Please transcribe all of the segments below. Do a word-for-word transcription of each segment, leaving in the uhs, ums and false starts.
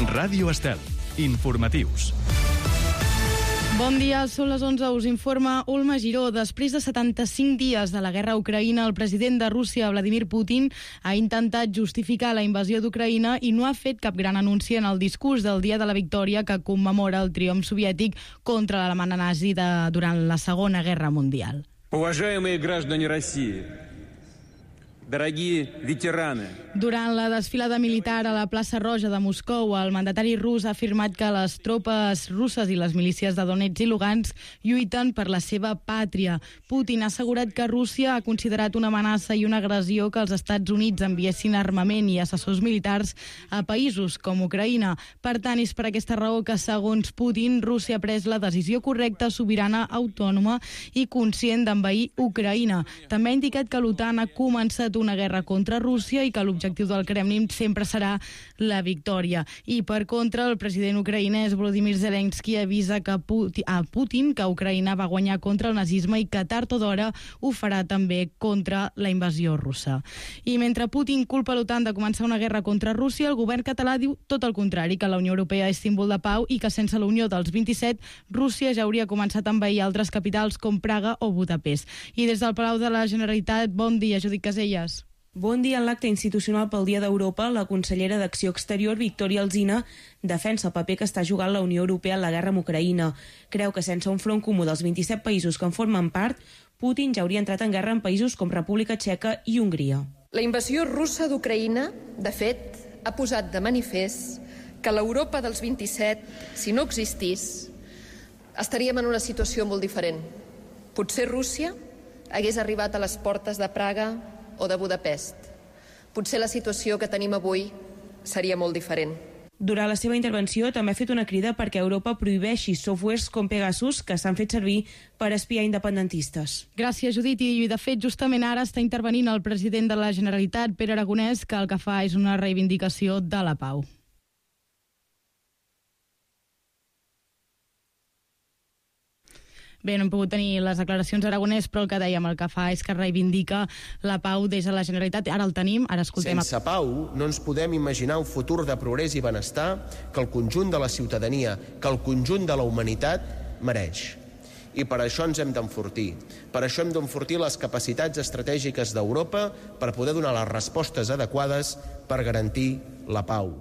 Ràdio Estel. Informatius. Bon dia, són les onze, us informa Ulma Giró. Després de setanta-cinc dies de la guerra a Ucraïna, el president de Rússia, Vladimir Putin, ha intentat justificar la invasió d'Ucraïna i no ha fet cap gran anunci en el discurs del Dia de la Victòria que commemora el triomf soviètic contra l'Alemanya nazi de, durant la Segona Guerra Mundial. Уважаемые граждане России, дорогие ветераны. Durant la desfilada militar a la plaça Roja de Moscou, el mandatari rus ha afirmat que les tropes russes i les milícies de Donetsk i Lugansk lluiten per la seva pàtria. Putin ha assegurat que Rússia ha considerat una amenaça i una agressió que els Estats Units enviessin armament i assessors militars a països com Ucraïna. Per tant, és per aquesta raó que, segons Putin, Rússia ha pres la decisió correcta, sobirana, autònoma i conscient d'envair Ucraïna. També ha indicat que l'OTAN ha començat una guerra contra Rússia i que l'objectiu del Kremlin sempre serà la victòria. I per contra, el president ucraïnès Volodymyr Zelensky avisa que Putin, a Putin que Ucraïna va guanyar contra el nazisme i que tard o d'hora ho farà també contra la invasió russa. I mentre Putin culpa l'OTAN de començar una guerra contra Rússia, el govern català diu tot el contrari, que la Unió Europea és símbol de pau i que sense la Unió dels vint-i-set, Rússia ja hauria començat a envair altres capitals com Praga o Budapest. I des del Palau de la Generalitat, bon dia, Judit Caselles. Bon dia. En l'acte institucional pel Dia d'Europa, la consellera d'Acció Exterior, Victòria Alsina, defensa el paper que està jugant la Unió Europea en la guerra amb Ucraïna. Creu que sense un front comú dels vint-i-set països que en formen part, Putin ja hauria entrat en guerra en països com República Txeca i Hongria. La invasió russa d'Ucraïna, de fet, ha posat de manifest que l'Europa dels vint-i-set, si no existís, estaríem en una situació molt diferent. Potser Rússia hagués arribat a les portes de Praga o de Budapest. Potser la situació que tenim avui seria molt diferent. Durant la seva intervenció també ha fet una crida perquè Europa prohibeixi softwares com Pegasus que s'han fet servir per espiar independentistes. Gràcies, Judit. I de fet, justament ara està intervenint el president de la Generalitat, Pere Aragonès, que el que fa és una reivindicació de la pau. Bé, no hem pogut tenir les declaracions d'Aragonès, però el que dèiem, el que fa és que reivindica la pau des de la Generalitat. Ara el tenim, ara escoltem... Sense pau no ens podem imaginar un futur de progrés i benestar que el conjunt de la ciutadania, que el conjunt de la humanitat mereix. I per això ens hem d'enfortir. Per això hem d'enfortir les capacitats estratègiques d'Europa per poder donar les respostes adequades per garantir la pau.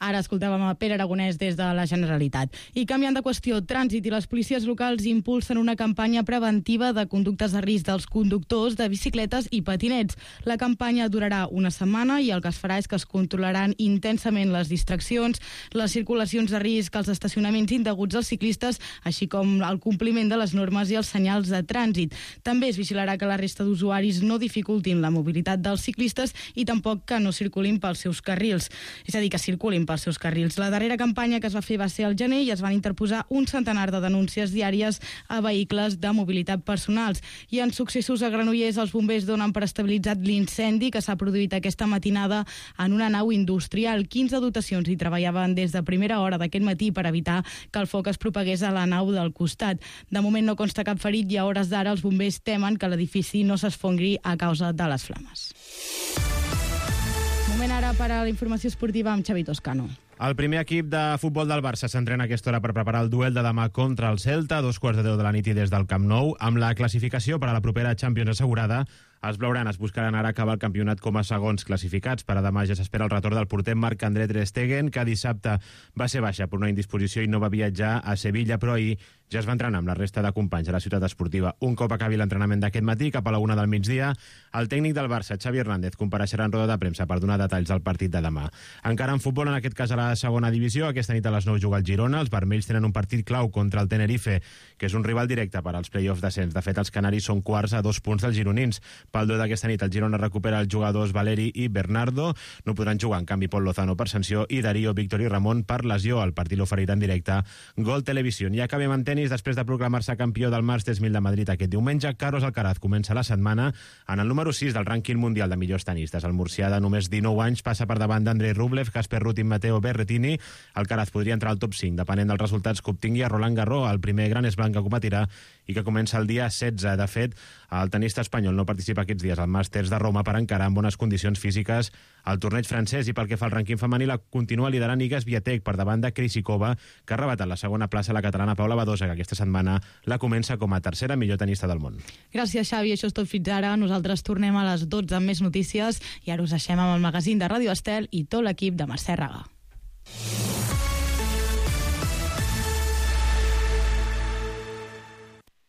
Ara escoltàvem a Pere Aragonès des de la Generalitat. I canviant de qüestió, Trànsit i les policies locals impulsen una campanya preventiva de conductes de risc dels conductors de bicicletes i patinets. La campanya durarà una setmana i el que es farà és que es controlaran intensament les distraccions, les circulacions de risc, els estacionaments indeguts als ciclistes, així com el compliment de les normes i els senyals de trànsit. També es vigilarà que la resta d'usuaris no dificultin la mobilitat dels ciclistes i tampoc que no circulin pels seus carrils. És a dir, que circulin pels seus carrils. La darrera campanya que es va fer va ser al gener i es van interposar un centenar de denúncies diàries a vehicles de mobilitat personals. I en successos a Granollers, els bombers donen per estabilitzat l'incendi que s'ha produït aquesta matinada en una nau industrial. quinze dotacions hi treballaven des de primera hora d'aquest matí per evitar que el foc es propagués a la nau del costat. De moment no consta cap ferit i a hores d'ara els bombers temen que l'edifici no s'esfongri a causa de les flames. Moment ara per a la informació esportiva amb Xavi Toscano. El primer equip de futbol del Barça s'entrena a aquesta hora per preparar el duel de demà contra el Celta, a dos quarts de deu de la nit i des del Camp Nou. Amb la classificació per a la propera Champions assegurada, els blaugranes buscaran ara acabar el campionat com a segons classificats. Per a demà ja s'espera el retorn del porter Marc-André Ter Stegen, que dissabte va ser baixa per una indisposició i no va viatjar a Sevilla, però ahir ja es va entrenar amb la resta de companys a la ciutat esportiva. Un cop acabi l'entrenament d'aquest matí, cap a la una del migdia, el tècnic del Barça, Xavi Hernández, compareixerà en roda de premsa per donar detalls del partit de demà. Encara en futbol, en aquest cas a la segona divisió, aquesta nit a les nou juga el Girona. Els vermells tenen un partit clau contra el Tenerife, que és un rival directe per als play-offs d'ascens. De fet, els canaris són quarts a dos punts dels gironins. Pel duel d'aquesta nit, el Girona recupera els jugadors Valeri i Bernardo. No podran jugar, en canvi, Pol Lozano per sanció i Darío, Víctor i Ramon per lesió. El partit l'oferirà en directe Gol Televisió. I acabem en tenis. Després de proclamar-se campió del Masters mil de Madrid aquest diumenge, Carlos Alcaraz comença la setmana en el número sis del rànquing mundial de millors tenistes. El murcià de només dinou anys passa per davant d'Andrei Rublev, Casper Ruud i Matteo Berrettini. Alcaraz podria entrar al top cinc, depenent dels resultats que obtingui a Roland Garros, el primer gran slam que competirà i que comença el dia setze. De fet, El tenista espanyol no participa aquests dies al Màsters de Roma per encarar en bones condicions físiques al torneig francès, i pel que fa al rànquing femení la continua liderant Iga Swiatek per davant de Krejcikova, que ha arrebatat la segona plaça a la catalana Paula Badosa, que aquesta setmana la comença com a tercera millor tenista del món. Gràcies, Xavi. Això és tot fins ara. Nosaltres tornem a les dotze amb més notícies i ara us deixem amb el magazín de Ràdio Estel i tot l'equip de Mercè Raga.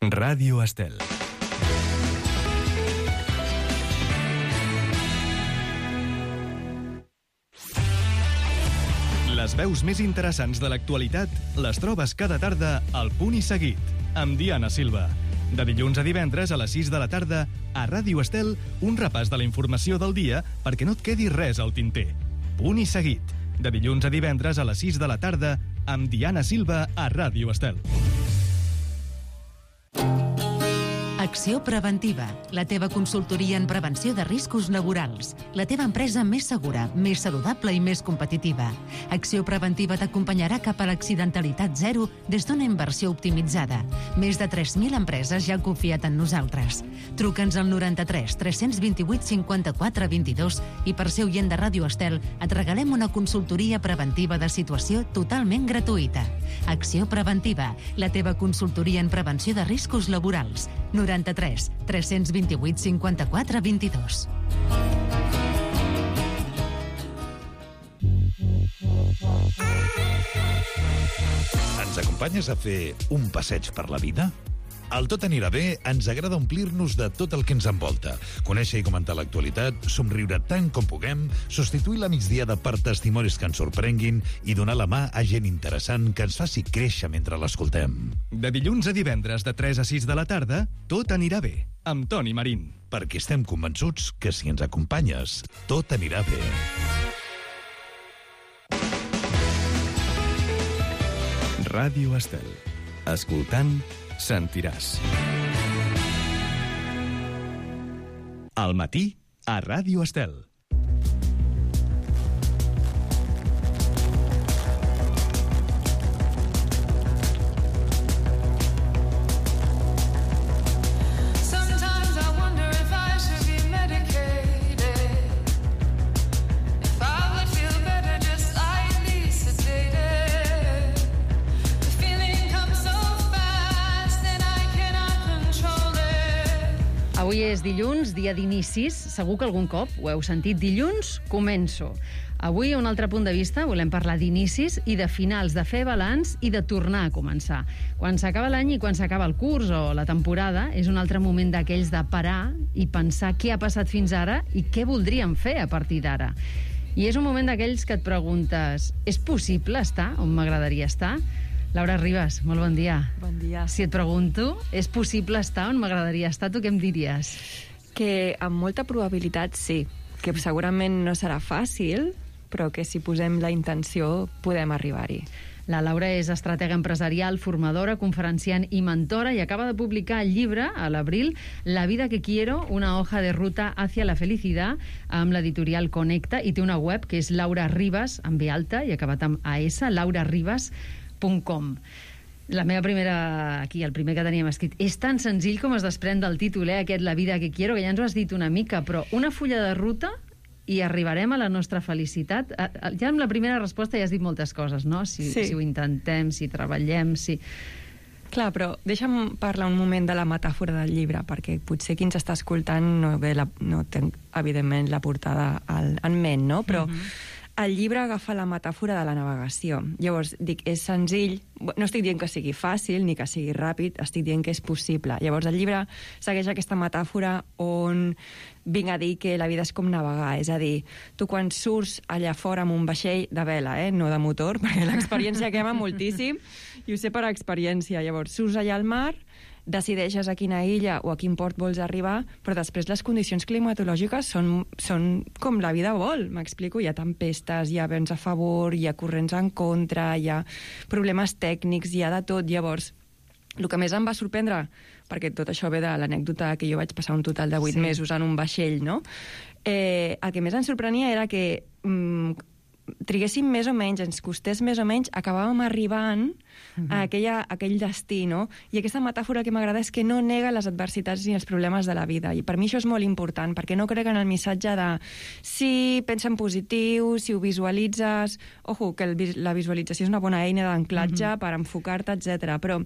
Ràdio Estel. Les veus més interessants de l'actualitat les trobes cada tarda al Punt i Seguit, amb Diana Silva. De dilluns a divendres a les sis de la tarda, a Ràdio Estel, un repàs de la informació del dia perquè no et quedi res al tinter. Punt i Seguit, de dilluns a divendres a les sis de la tarda, amb Diana Silva a Ràdio Estel. Acció Preventiva, la teva consultoria en prevenció de riscos laborals. La teva empresa més segura, més saludable i més competitiva. Acció Preventiva t'acompanyarà cap a l'accidentalitat zero des d'una inversió optimitzada. Més de tres mil empreses ja han confiat en nosaltres. Truca'ns al noranta-tres tres cents vint-i-vuit cinquanta-quatre vint-i-dos i per ser oient de Ràdio Estel et regalem una consultoria preventiva de situació totalment gratuïta. Acció Preventiva, la teva consultoria en prevenció de riscos laborals. noranta-tres tres cents vint-i-vuit cinquanta-quatre vint-i-dos. Ens acompanyes a fer un passeig per la vida? Al Tot anirà bé ens agrada omplir-nos de tot el que ens envolta, conèixer i comentar l'actualitat, somriure tant com puguem, substituir la migdiada per testimonis que ens sorprenguin i donar la mà a gent interessant que ens faci créixer mentre l'escoltem. De dilluns a divendres de tres a sis de la tarda, Tot anirà bé, amb Toni Marín. Perquè estem convençuts que si ens acompanyes, tot anirà bé. Ràdio Estel. Escoltant, sentiràs. Al matí, a Ràdio Estel. Avui és dilluns, dia d'inicis. Segur que algun cop ho heu sentit. Dilluns, començo. Avui, a un altre punt de vista, volem parlar d'inicis i de finals, de fer balanç i de tornar a començar. Quan s'acaba l'any i quan s'acaba el curs o la temporada, és un altre moment d'aquells de parar i pensar què ha passat fins ara i què voldríem fer a partir d'ara. I és un moment d'aquells que et preguntes, és possible estar on m'agradaria estar? Laura Ribas, molt bon dia. Bon dia. Si et pregunto, és possible estar on m'agradaria estar, tu què em diries? Que amb molta probabilitat sí, que segurament no serà fàcil, però que si posem la intenció podem arribar-hi. La Laura és estratega empresarial, formadora, conferenciant i mentora i acaba de publicar el llibre, a l'abril, La vida que quiero, una hoja de ruta hacia la felicidad, amb l'editorial Connecta, i té una web que és Laura Ribas, amb B alta, i acabat amb A S, laura ribas punt com. La meva primera, aquí, el primer que teníem escrit, és tan senzill com es desprèn del títol, eh, aquest La vida que quiero, que ja ens ho has dit una mica, però una fulla de ruta i arribarem a la nostra felicitat. Ja amb la primera resposta ja has dit moltes coses, no? Si, sí. si ho intentem, si treballem, si... Clar, però deixa'm parlar un moment de la metàfora del llibre, perquè potser qui ens està escoltant no, ve la, no té, evidentment, la portada al, en ment, no? Però uh-huh. El llibre agafa la metàfora de la navegació. Llavors, dic, és senzill, no estic dient que sigui fàcil ni que sigui ràpid, estic dient que és possible. Llavors, el llibre segueix aquesta metàfora on vinc a dir que la vida és com navegar, és a dir, tu quan surts allà fora amb un vaixell de vela, eh, no de motor, perquè l'experiència quema moltíssim, i ho sé per experiència. Llavors, surts allà al mar, decideixes a quina illa o a quin port vols arribar, però després les condicions climatològiques són, són com la vida vol, m'explico. Hi ha tempestes, hi ha vents a favor, hi ha corrents en contra, hi ha problemes tècnics, hi ha de tot. Llavors, el que més em va sorprendre, perquè tot això ve de l'anècdota que jo vaig passar un total de vuit sí. mesos en un vaixell, no? Eh, el que més em sorprenia era que mm, triguéssim més o menys, ens costés més o menys, acabàvem arribant uh-huh. a, aquella, a aquell destí, no? I aquesta metàfora que m'agrada és que no nega les adversitats ni els problemes de la vida. I per mi això és molt important, perquè no crec en el missatge de sí, pensa en positiu, si ho visualitzes... Ojo, que el, la visualització és una bona eina d'anclatge uh-huh. per enfocar-te, etcètera. Però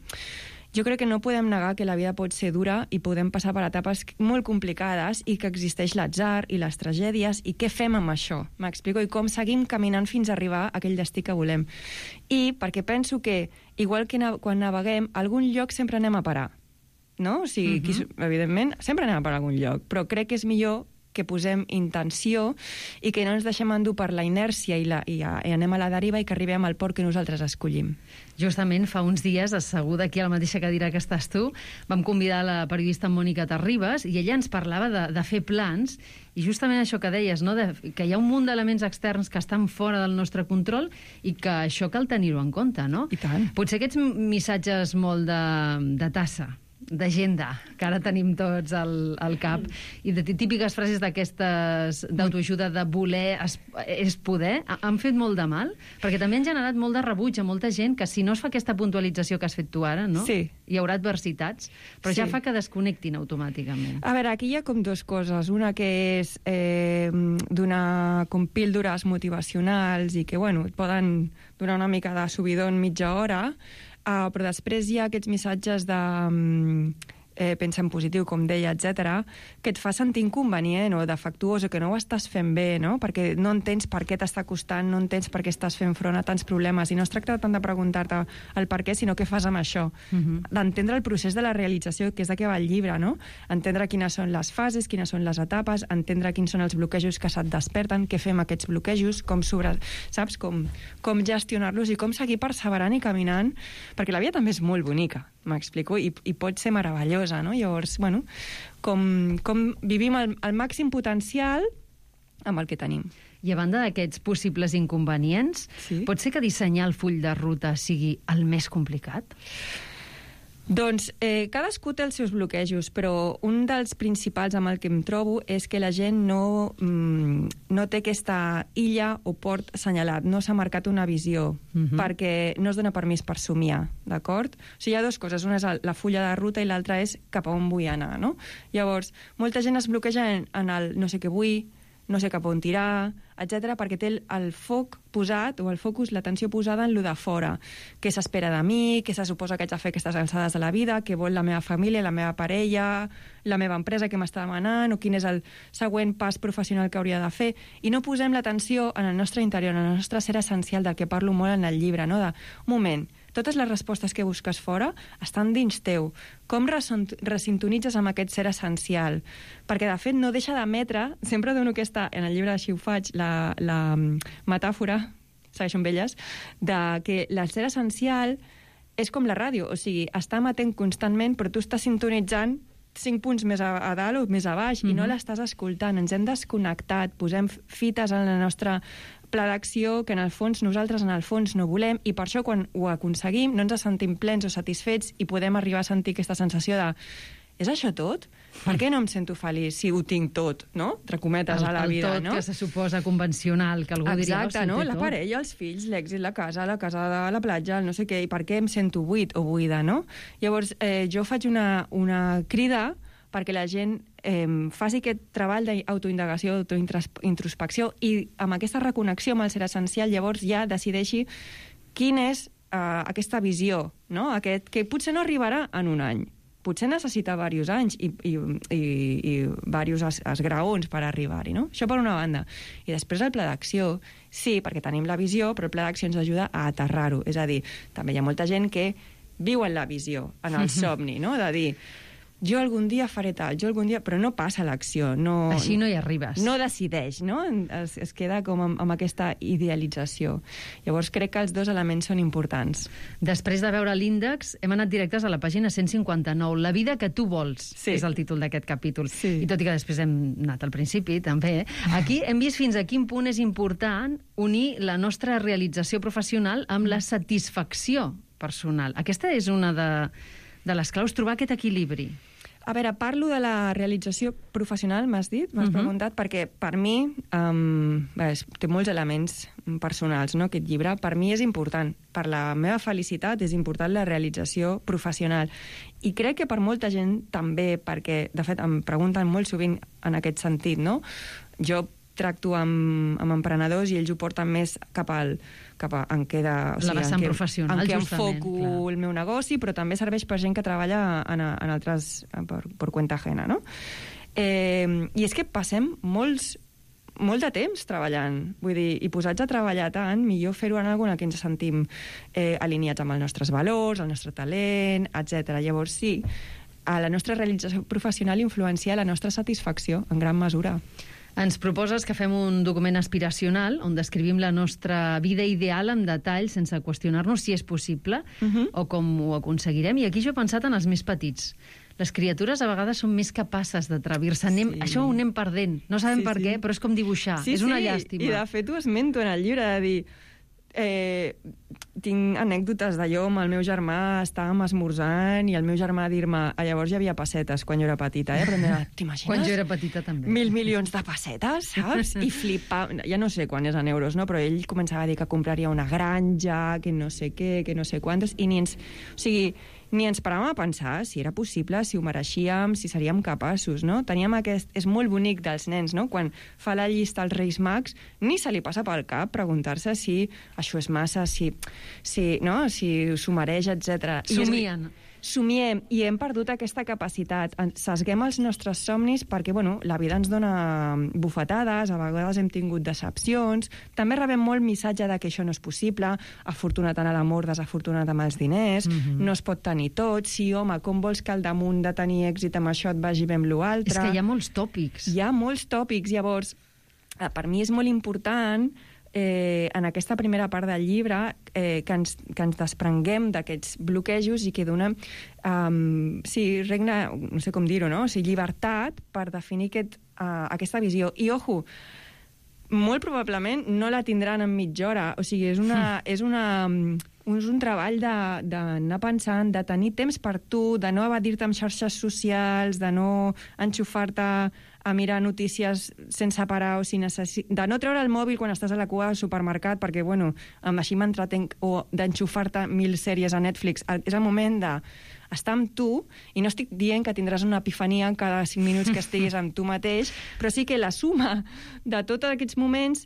jo crec que no podem negar que la vida pot ser dura i podem passar per etapes molt complicades i que existeix l'atzar i les tragèdies i què fem amb això, m'explico? I com seguim caminant fins a arribar a aquell destí que volem. I perquè penso que, igual que na- quan naveguem, a algun lloc sempre anem a parar, no? O sigui, uh-huh. qui, evidentment, sempre anem a parar a algun lloc, però crec que és millor que posem intenció i que no ens deixem endur per la inèrcia i, la, i, a, i anem a la deriva i que arribem al port que nosaltres escollim. Justament fa uns dies, asseguda aquí a la mateixa cadira que estàs tu, vam convidar la periodista Mònica Terribas i ella ens parlava de, de fer plans i justament això que deies, no? de, que hi ha un munt d'elements externs que estan fora del nostre control i que això cal tenir-ho en compte, no? I tant. Potser aquests missatges molt de, de tassa, d'agenda, que ara tenim tots al, al cap, i de típiques frases d'aquestes d'autoajuda de voler es, és poder, han fet molt de mal, perquè també han generat molt de rebuig a molta gent que si no es fa aquesta puntualització que has fet tu ara, no? Sí. Hi haurà adversitats, però Sí. ja fa que desconnectin automàticament. A veure, aquí hi ha com dues coses. Una que és eh, donar com píldores motivacionals i que, bueno, et poden donar una mica de subidon mitja hora, uh, però després hi ha aquests missatges de... Um, eh, pensa en positiu, com deia, etcètera, que et fa sentir inconvenient o defectuós o que no ho estàs fent bé, no? Perquè no entens per què t'està costant, no entens per què estàs fent front a tants problemes. I no es tracta tant de preguntar-te el per què, sinó què fas amb això. Uh-huh. D'entendre el procés de la realització, que és de què va el llibre, no? Entendre quines són les fases, quines són les etapes, entendre quins són els bloquejos que se't desperten, què fem aquests bloquejos, com sobre, saps? Com, com gestionar-los i com seguir perseverant i caminant, perquè la vida també és molt bonica, m'explico, i, i pot ser meravellosa, no? Llavors, bueno, com, com vivim el, el màxim potencial amb el que tenim. I a banda d'aquests possibles inconvenients, sí? Pot ser que dissenyar el full de ruta sigui el més complicat? Doncs eh, cadascú té els seus bloquejos, però un dels principals amb el que em trobo és que la gent no, mm, no té aquesta illa o port assenyalat, no s'ha marcat una visió, uh-huh. perquè no es dona permís per somiar, d'acord? O sigui, hi ha dues coses, una és la fulla de ruta i l'altra és cap a on vull anar, no? Llavors, molta gent es bloqueja en, en el no sé què vull, no sé cap on tirar, etcètera, perquè té el, el foc posat, o el focus, l'atenció posada en lo de fora. Què s'espera de mi, què se suposa que haig de fer aquestes alçades de la vida, què vol la meva família, la meva parella, la meva empresa que m'està demanant, o quin és el següent pas professional que hauria de fer. I no posem l'atenció en el nostre interior, en el nostre ser essencial, del que parlo molt en el llibre, no? De, un moment, totes les respostes que busques fora estan dins teu. Com resintonitzes amb aquest ser essencial? Perquè, de fet, no deixa d'emetre, sempre dono aquesta, en el llibre així ho faig, la, la metàfora, segueixo amb elles, de que el ser essencial és com la ràdio, o sigui, està emetent constantment, però tu estàs sintonitzant cinc punts més a, a dalt o més a baix, mm-hmm. i no l'estàs escoltant. Ens hem desconnectat, posem fites en la nostra pla d'acció que en el fons nosaltres en el fons no volem, i per això quan ho aconseguim no ens sentim plens o satisfets i podem arribar a sentir aquesta sensació de és això tot? Per què no em sento feliç si ho tinc tot, no? Entre cometes, a la vida, el tot no? que se suposa convencional, que algú diria... Exacte, no? La parella, els fills, l'èxit, la casa, la casa de la platja, el no sé què, i per què em sento buit o buida, no? Llavors, eh, jo faig una, una crida perquè la gent eh, faci aquest treball d'autoindagació, autointrospecció, i amb aquesta reconnexió amb el ser essencial, llavors ja decideixi quina és eh, aquesta visió, no? Aquest, que potser no arribarà en un any, potser necessita diversos anys i, i, i, i diversos es, esgraons per arribar-hi, no? Això per una banda. I després el pla d'acció, sí, perquè tenim la visió, però el pla d'acció ens ajuda a aterrar-ho. És a dir, també hi ha molta gent que viu en la visió, en el somni, no? De dir, jo algun dia faré tal, jo algun dia... Però no passa l'acció, no... Així no hi arribes. No decideix, no? Es, es queda com amb, amb aquesta idealització. Llavors crec que els dos elements són importants. Després de veure l'índex, hem anat directes a la pàgina cent cinquanta-nou. La vida que tu vols, sí. És el títol d'aquest capítol. Sí. I tot i que després hem anat al principi, també. Aquí hem vist fins a quin punt és important unir la nostra realització professional amb la satisfacció personal. Aquesta és una de, de les claus, trobar aquest equilibri. A veure, parlo de la realització professional, m'has dit, m'has uh-huh. preguntat, perquè per mi um, bé, té molts elements personals, no?, aquest llibre. Per mi és important, per la meva felicitat és important la realització professional. I crec que per molta gent també, perquè, de fet, em pregunten molt sovint en aquest sentit, no? Jo tracto amb, amb emprenedors i ells ho porten més cap al... cap a, en què de, o sigui, la vessant en què, professional, en què justament, enfoco clar. el meu negoci, però també serveix per gent que treballa en, en altres... per, per cuenta ajena, no? Eh, I és que passem molts molt de temps treballant, vull dir, i posats a treballar tant, millor fer-ho en alguna que ens sentim eh, alineats amb els nostres valors, el nostre talent, etcètera. Llavors, sí, a la nostra realització professional influencia la nostra satisfacció, en gran mesura. Ens proposes que fem un document aspiracional on descrivim la nostra vida ideal en detall sense qüestionar-nos si és possible uh-huh. o com ho aconseguirem. I aquí jo he pensat en els més petits. Les criatures a vegades són més capaces d'atrevir-se. Sí. Això ho anem perdent. No sabem sí, per sí. què, però és com dibuixar. Sí, és una sí. llàstima. I de fet ho esmento en el llibre, de dir... Eh, tinc anècdotes d'allò amb el meu germà, estàvem esmorzant i el meu germà dir-me, llavors hi havia pessetes quan jo era petita, eh? Però t'imagines? Quan jo era petita també. Mil milions de pessetes, saps? I flipava, ja no sé quan és en euros, no? Però ell començava a dir que compraria una granja, que no sé què, que no sé quantos, i ni ens... O sigui, ni ens paràvem a pensar si era possible, si ho mereixíem, si seríem capaços, no? Teníem aquest... És molt bonic dels nens, no? Quan fa la llista als Reis Mags, ni se li passa pel cap preguntar-se si això és massa, si, si, no? si s'ho mereix, etcètera. Somien. Somiem, i hem perdut aquesta capacitat. Sesguem els nostres somnis perquè, bueno, la vida ens dona bufetades, a vegades hem tingut decepcions, també rebem molt missatge de que això no és possible, afortunat en l'amor, desafortunat amb els diners, mm-hmm. no es pot tenir tot, sí, home, com vols que al damunt de tenir èxit amb això et vagi bé amb l'altre? És que hi ha molts tòpics. Hi ha molts tòpics, llavors, per mi és molt important... Eh, en aquesta primera part del llibre eh, que, ens, que ens desprenguem d'aquests bloquejos i que donem um, sí, regne, no sé com dir-ho, no? O sigui, llibertat per definir aquest, uh, aquesta visió. I, ojo, molt probablement no la tindran en mitja hora. O sigui, és, una, és, una, és un treball d'anar pensant, de tenir temps per tu, de no evadir-te amb xarxes socials, de no enxufar-te a mirar notícies sense parar, o si necessi... de no treure el mòbil quan estàs a la cua al supermercat, perquè, bueno, amb així m'entretenc, o d'enxufar-te mil sèries a Netflix. És el moment de estar amb tu, i no estic dient que tindràs una epifania cada cinc minuts que estiguis amb tu mateix, però sí que la suma de tots aquests moments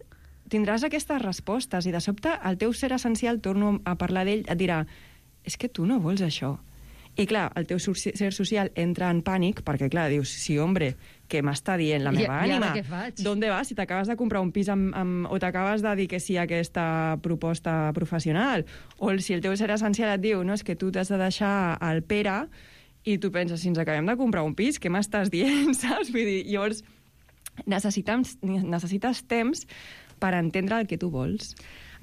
tindràs aquestes respostes, i de sobte el teu ser essencial, torno a parlar d'ell, et dirà, és que tu no vols això. I clar, el teu ser social entra en pànic, perquè clar, dius, sí, hombre, què m'està dient la meva I, ànima? I ara què faig? D'on vas? Si t'acabes de comprar un pis amb, amb, o t'acabes de dir que sí a aquesta proposta professional, o si el teu ser essencial et diu, no, és que tu t'has de deixar el Pere, i tu penses, si ens acabem de comprar un pis, què m'estàs dient, saps? Vull dir, llavors, necessitem, necessites temps per entendre el que tu vols.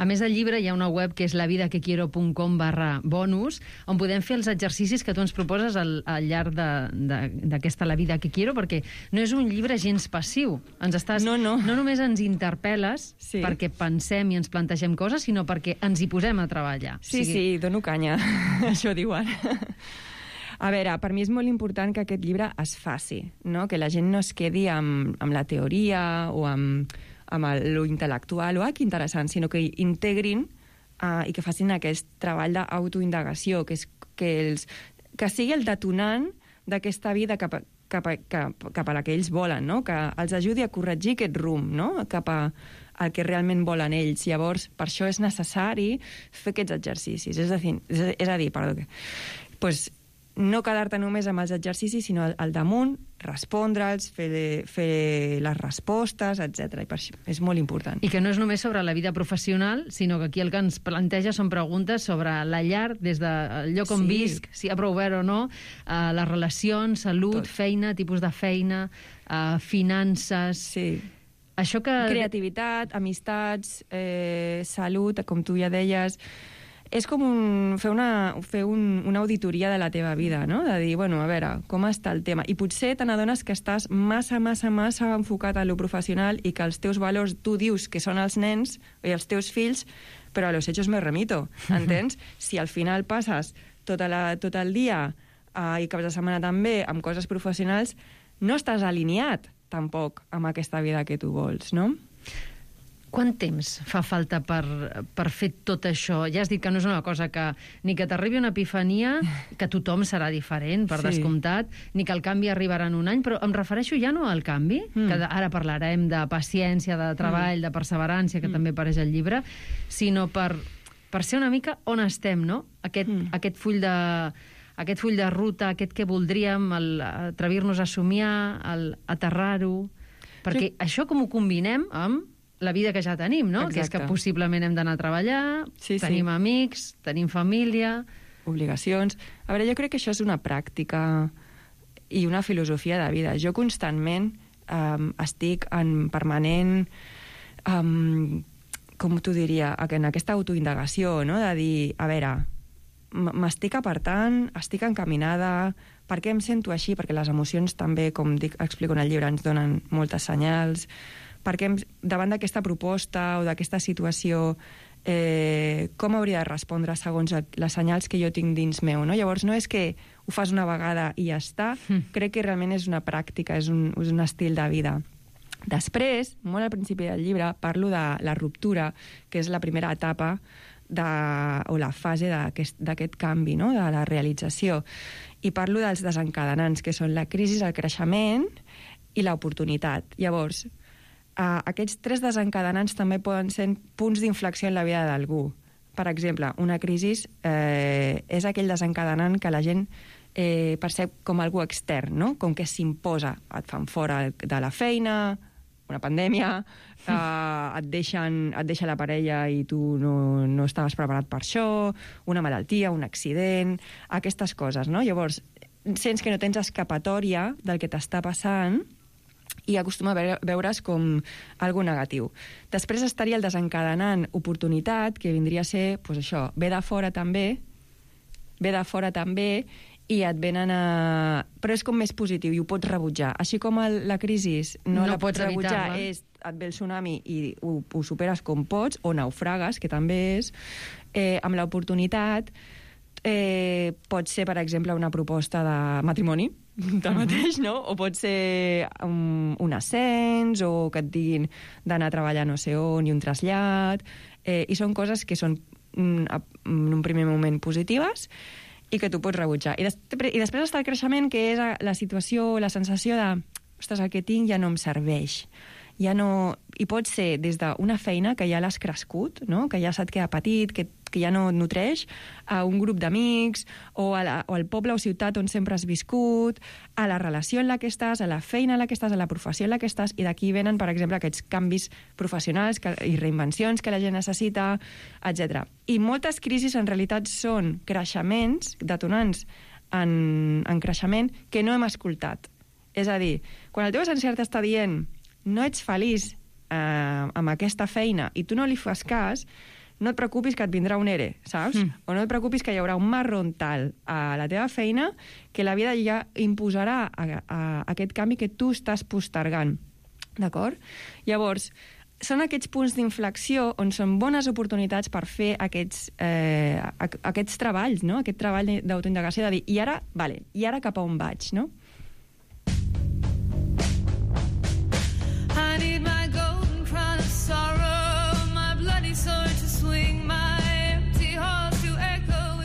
A més, al llibre hi ha una web que és lavidaquequiero punt com barra bonus, on podem fer els exercicis que tu ens proposes al, al llarg d'aquesta La vida que quiero, perquè no és un llibre gens passiu. Ens estàs, no, no. no només ens interpel·les sí. perquè pensem i ens plantegem coses, sinó perquè ens hi posem a treballar. Sí, o sigui... sí, dono canya, això diuen. A veure, per mi és molt important que aquest llibre es faci, no? Que la gent no es quedi amb, amb la teoria o amb... amb lo intel·lectual, o ah, que interessant, sinó que integrin uh, i que facin aquest treball d'autoindagació, que, és, que, els, que sigui el detonant d'aquesta vida cap a, cap, a, cap, cap a la que ells volen, no? Que els ajudi a corregir aquest rumb, no? Cap a el que realment volen ells. Llavors, per això és necessari fer aquests exercicis. És a dir, és a dir perdó, pues, no quedar-te només amb els exercicis, sinó al, al damunt, respondre'ls, fer, fer les respostes, etcètera. I per això és molt important. I que no és només sobre la vida professional, sinó que aquí el que ens planteja són preguntes sobre la llar, des del lloc on sí. visc, si hi ha prou verd o no, uh, les relacions, salut, Tot. feina, tipus de feina, uh, finances... Sí. Això que... Creativitat, amistats, eh, salut, com tu ja deies... És com un, fer, una, fer un, una auditoria de la teva vida, no? De dir, bueno, a veure, com està el tema? I potser te n'adones que estàs massa, massa, massa enfocat a lo professional i que els teus valors, tu dius que són els nens i els teus fills, però a los hechos me remito, entens? Si al final passes tota la, tot el dia uh, i caps de setmana també, amb coses professionals, no estàs alineat tampoc amb aquesta vida que tu vols, no? Quant temps fa falta per, per fer tot això? Ja has dit que no és una cosa que ni que t'arribi una epifania, que tothom serà diferent, per sí. descomptat, ni que el canvi arribarà en un any, però em refereixo ja no al canvi, mm. que ara parlarem de paciència, de treball, mm. de perseverància, que mm. també apareix al llibre, sinó per, per ser una mica on estem, no? Aquest, mm. aquest full de... aquest full de ruta, aquest que voldríem, el atrevir-nos a somiar, el aterrar-ho... Perquè sí. això com ho combinem amb la vida que ja tenim, no? Exacte. Que és que possiblement hem d'anar a treballar, sí, tenim sí. amics, tenim família... Obligacions... A veure, jo crec que això és una pràctica i una filosofia de vida. Jo constantment um, estic en permanent... Um, com t'ho diria? En aquesta autoindagació, no? De dir, a veure... m'estic apartant, estic encaminada, per què em sento així? Perquè les emocions també, com dic, explico en el llibre, ens donen moltes senyals. Per què em, davant d'aquesta proposta o d'aquesta situació, eh, com hauria de respondre segons les senyals que jo tinc dins meu, no? Llavors, no és que ho fas una vegada i ja està, mm. crec que realment és una pràctica, és un, és un estil de vida. Després, molt al principi del llibre, parlo de la ruptura, que és la primera etapa de, o la fase d'aquest canvi, no? De la realització. I parlo dels desencadenants, que són la crisi, el creixement i l'oportunitat. Llavors, eh, aquests tres desencadenants també poden ser punts d'inflexió en la vida d'algú. Per exemple, una crisi eh, és aquell desencadenant que la gent eh, percep com algú extern, no? Com que s'imposa. Et fan fora de la feina, una pandèmia, eh, et, deixen, et deixa la parella i tu no, no estaves preparat per això, una malaltia, un accident, aquestes coses, no? Llavors, sents que no tens escapatòria del que t'està passant i acostuma a veure's com algo negatiu. Després estaria el desencadenant oportunitat, que vindria a ser, doncs això, ve de fora també, ve de fora també, i et venen a... Però és com més positiu i ho pots rebutjar. Així com el, la crisi no, no la pots rebutjar, és, et ve el tsunami i ho, ho superes com pots, o naufragues, que també és, eh, amb l'oportunitat eh, pot ser, per exemple, una proposta de matrimoni, del mateix, no? O pot ser un, un ascens, o que et diguin d'anar a treballar no sé on, i un trasllat, eh, i són coses que són en un primer moment positives, i que tu pots rebutjar. I, des I després està el creixement, que és la situació, la sensació de ostres, el que tinc ja no em serveix. Ja no... I pot ser des d'una feina que ja l'has crescut, no? Que ja se't queda petit, que, que ja no et nutreix, a un grup d'amics, o, a la, o al poble o ciutat on sempre has viscut, a la relació en la que estàs, a la feina en la que estàs, a la professió en la que estàs, i d'aquí venen, per exemple, aquests canvis professionals que, i reinvencions que la gent necessita, etcètera. I moltes crisis, en realitat, són creixements, detonants en, en creixement, que no hem escoltat. És a dir, quan el teu encert està dient no ets feliç eh, amb aquesta feina i tu no li fas cas, no et preocupis que et vindrà un ere, saps? Mm. O no et preocupis que hi haurà un marron tal a la teva feina que la vida ja imposarà a, a, a aquest canvi que tu estàs postergant. D'acord? Llavors, són aquests punts d'inflexió on són bones oportunitats per fer aquests, eh, aquests treballs, no? Aquest treball d'autoindagació de dir, i ara, vale, i ara cap a on vaig, no?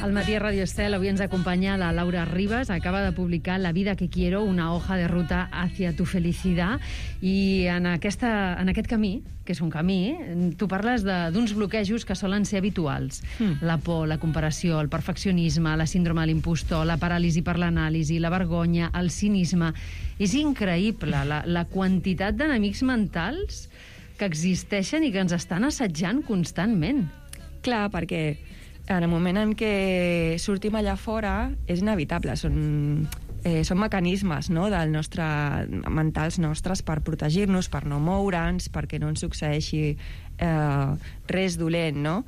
Al matí a Radio Estel avui ens acompanya la Laura Ribas, acaba de publicar La vida que quiero, una hoja de ruta hacia tu felicidad, i en, aquesta, en aquest camí, que és un camí, tu parles d'uns bloquejos que solen ser habituals. Mm. La por, la comparació, el perfeccionisme, la síndrome de l'impostor, la paràlisi per l'anàlisi, la vergonya, el cinisme... És increïble la, la quantitat d'enemics mentals que existeixen i que ens estan assetjant constantment. Clar, perquè en el moment en què sortim allà fora és inevitable, són, eh, són mecanismes, no?, del nostre, mentals nostres per protegir-nos, per no moure'ns, perquè no ens succeeixi eh, res dolent, no?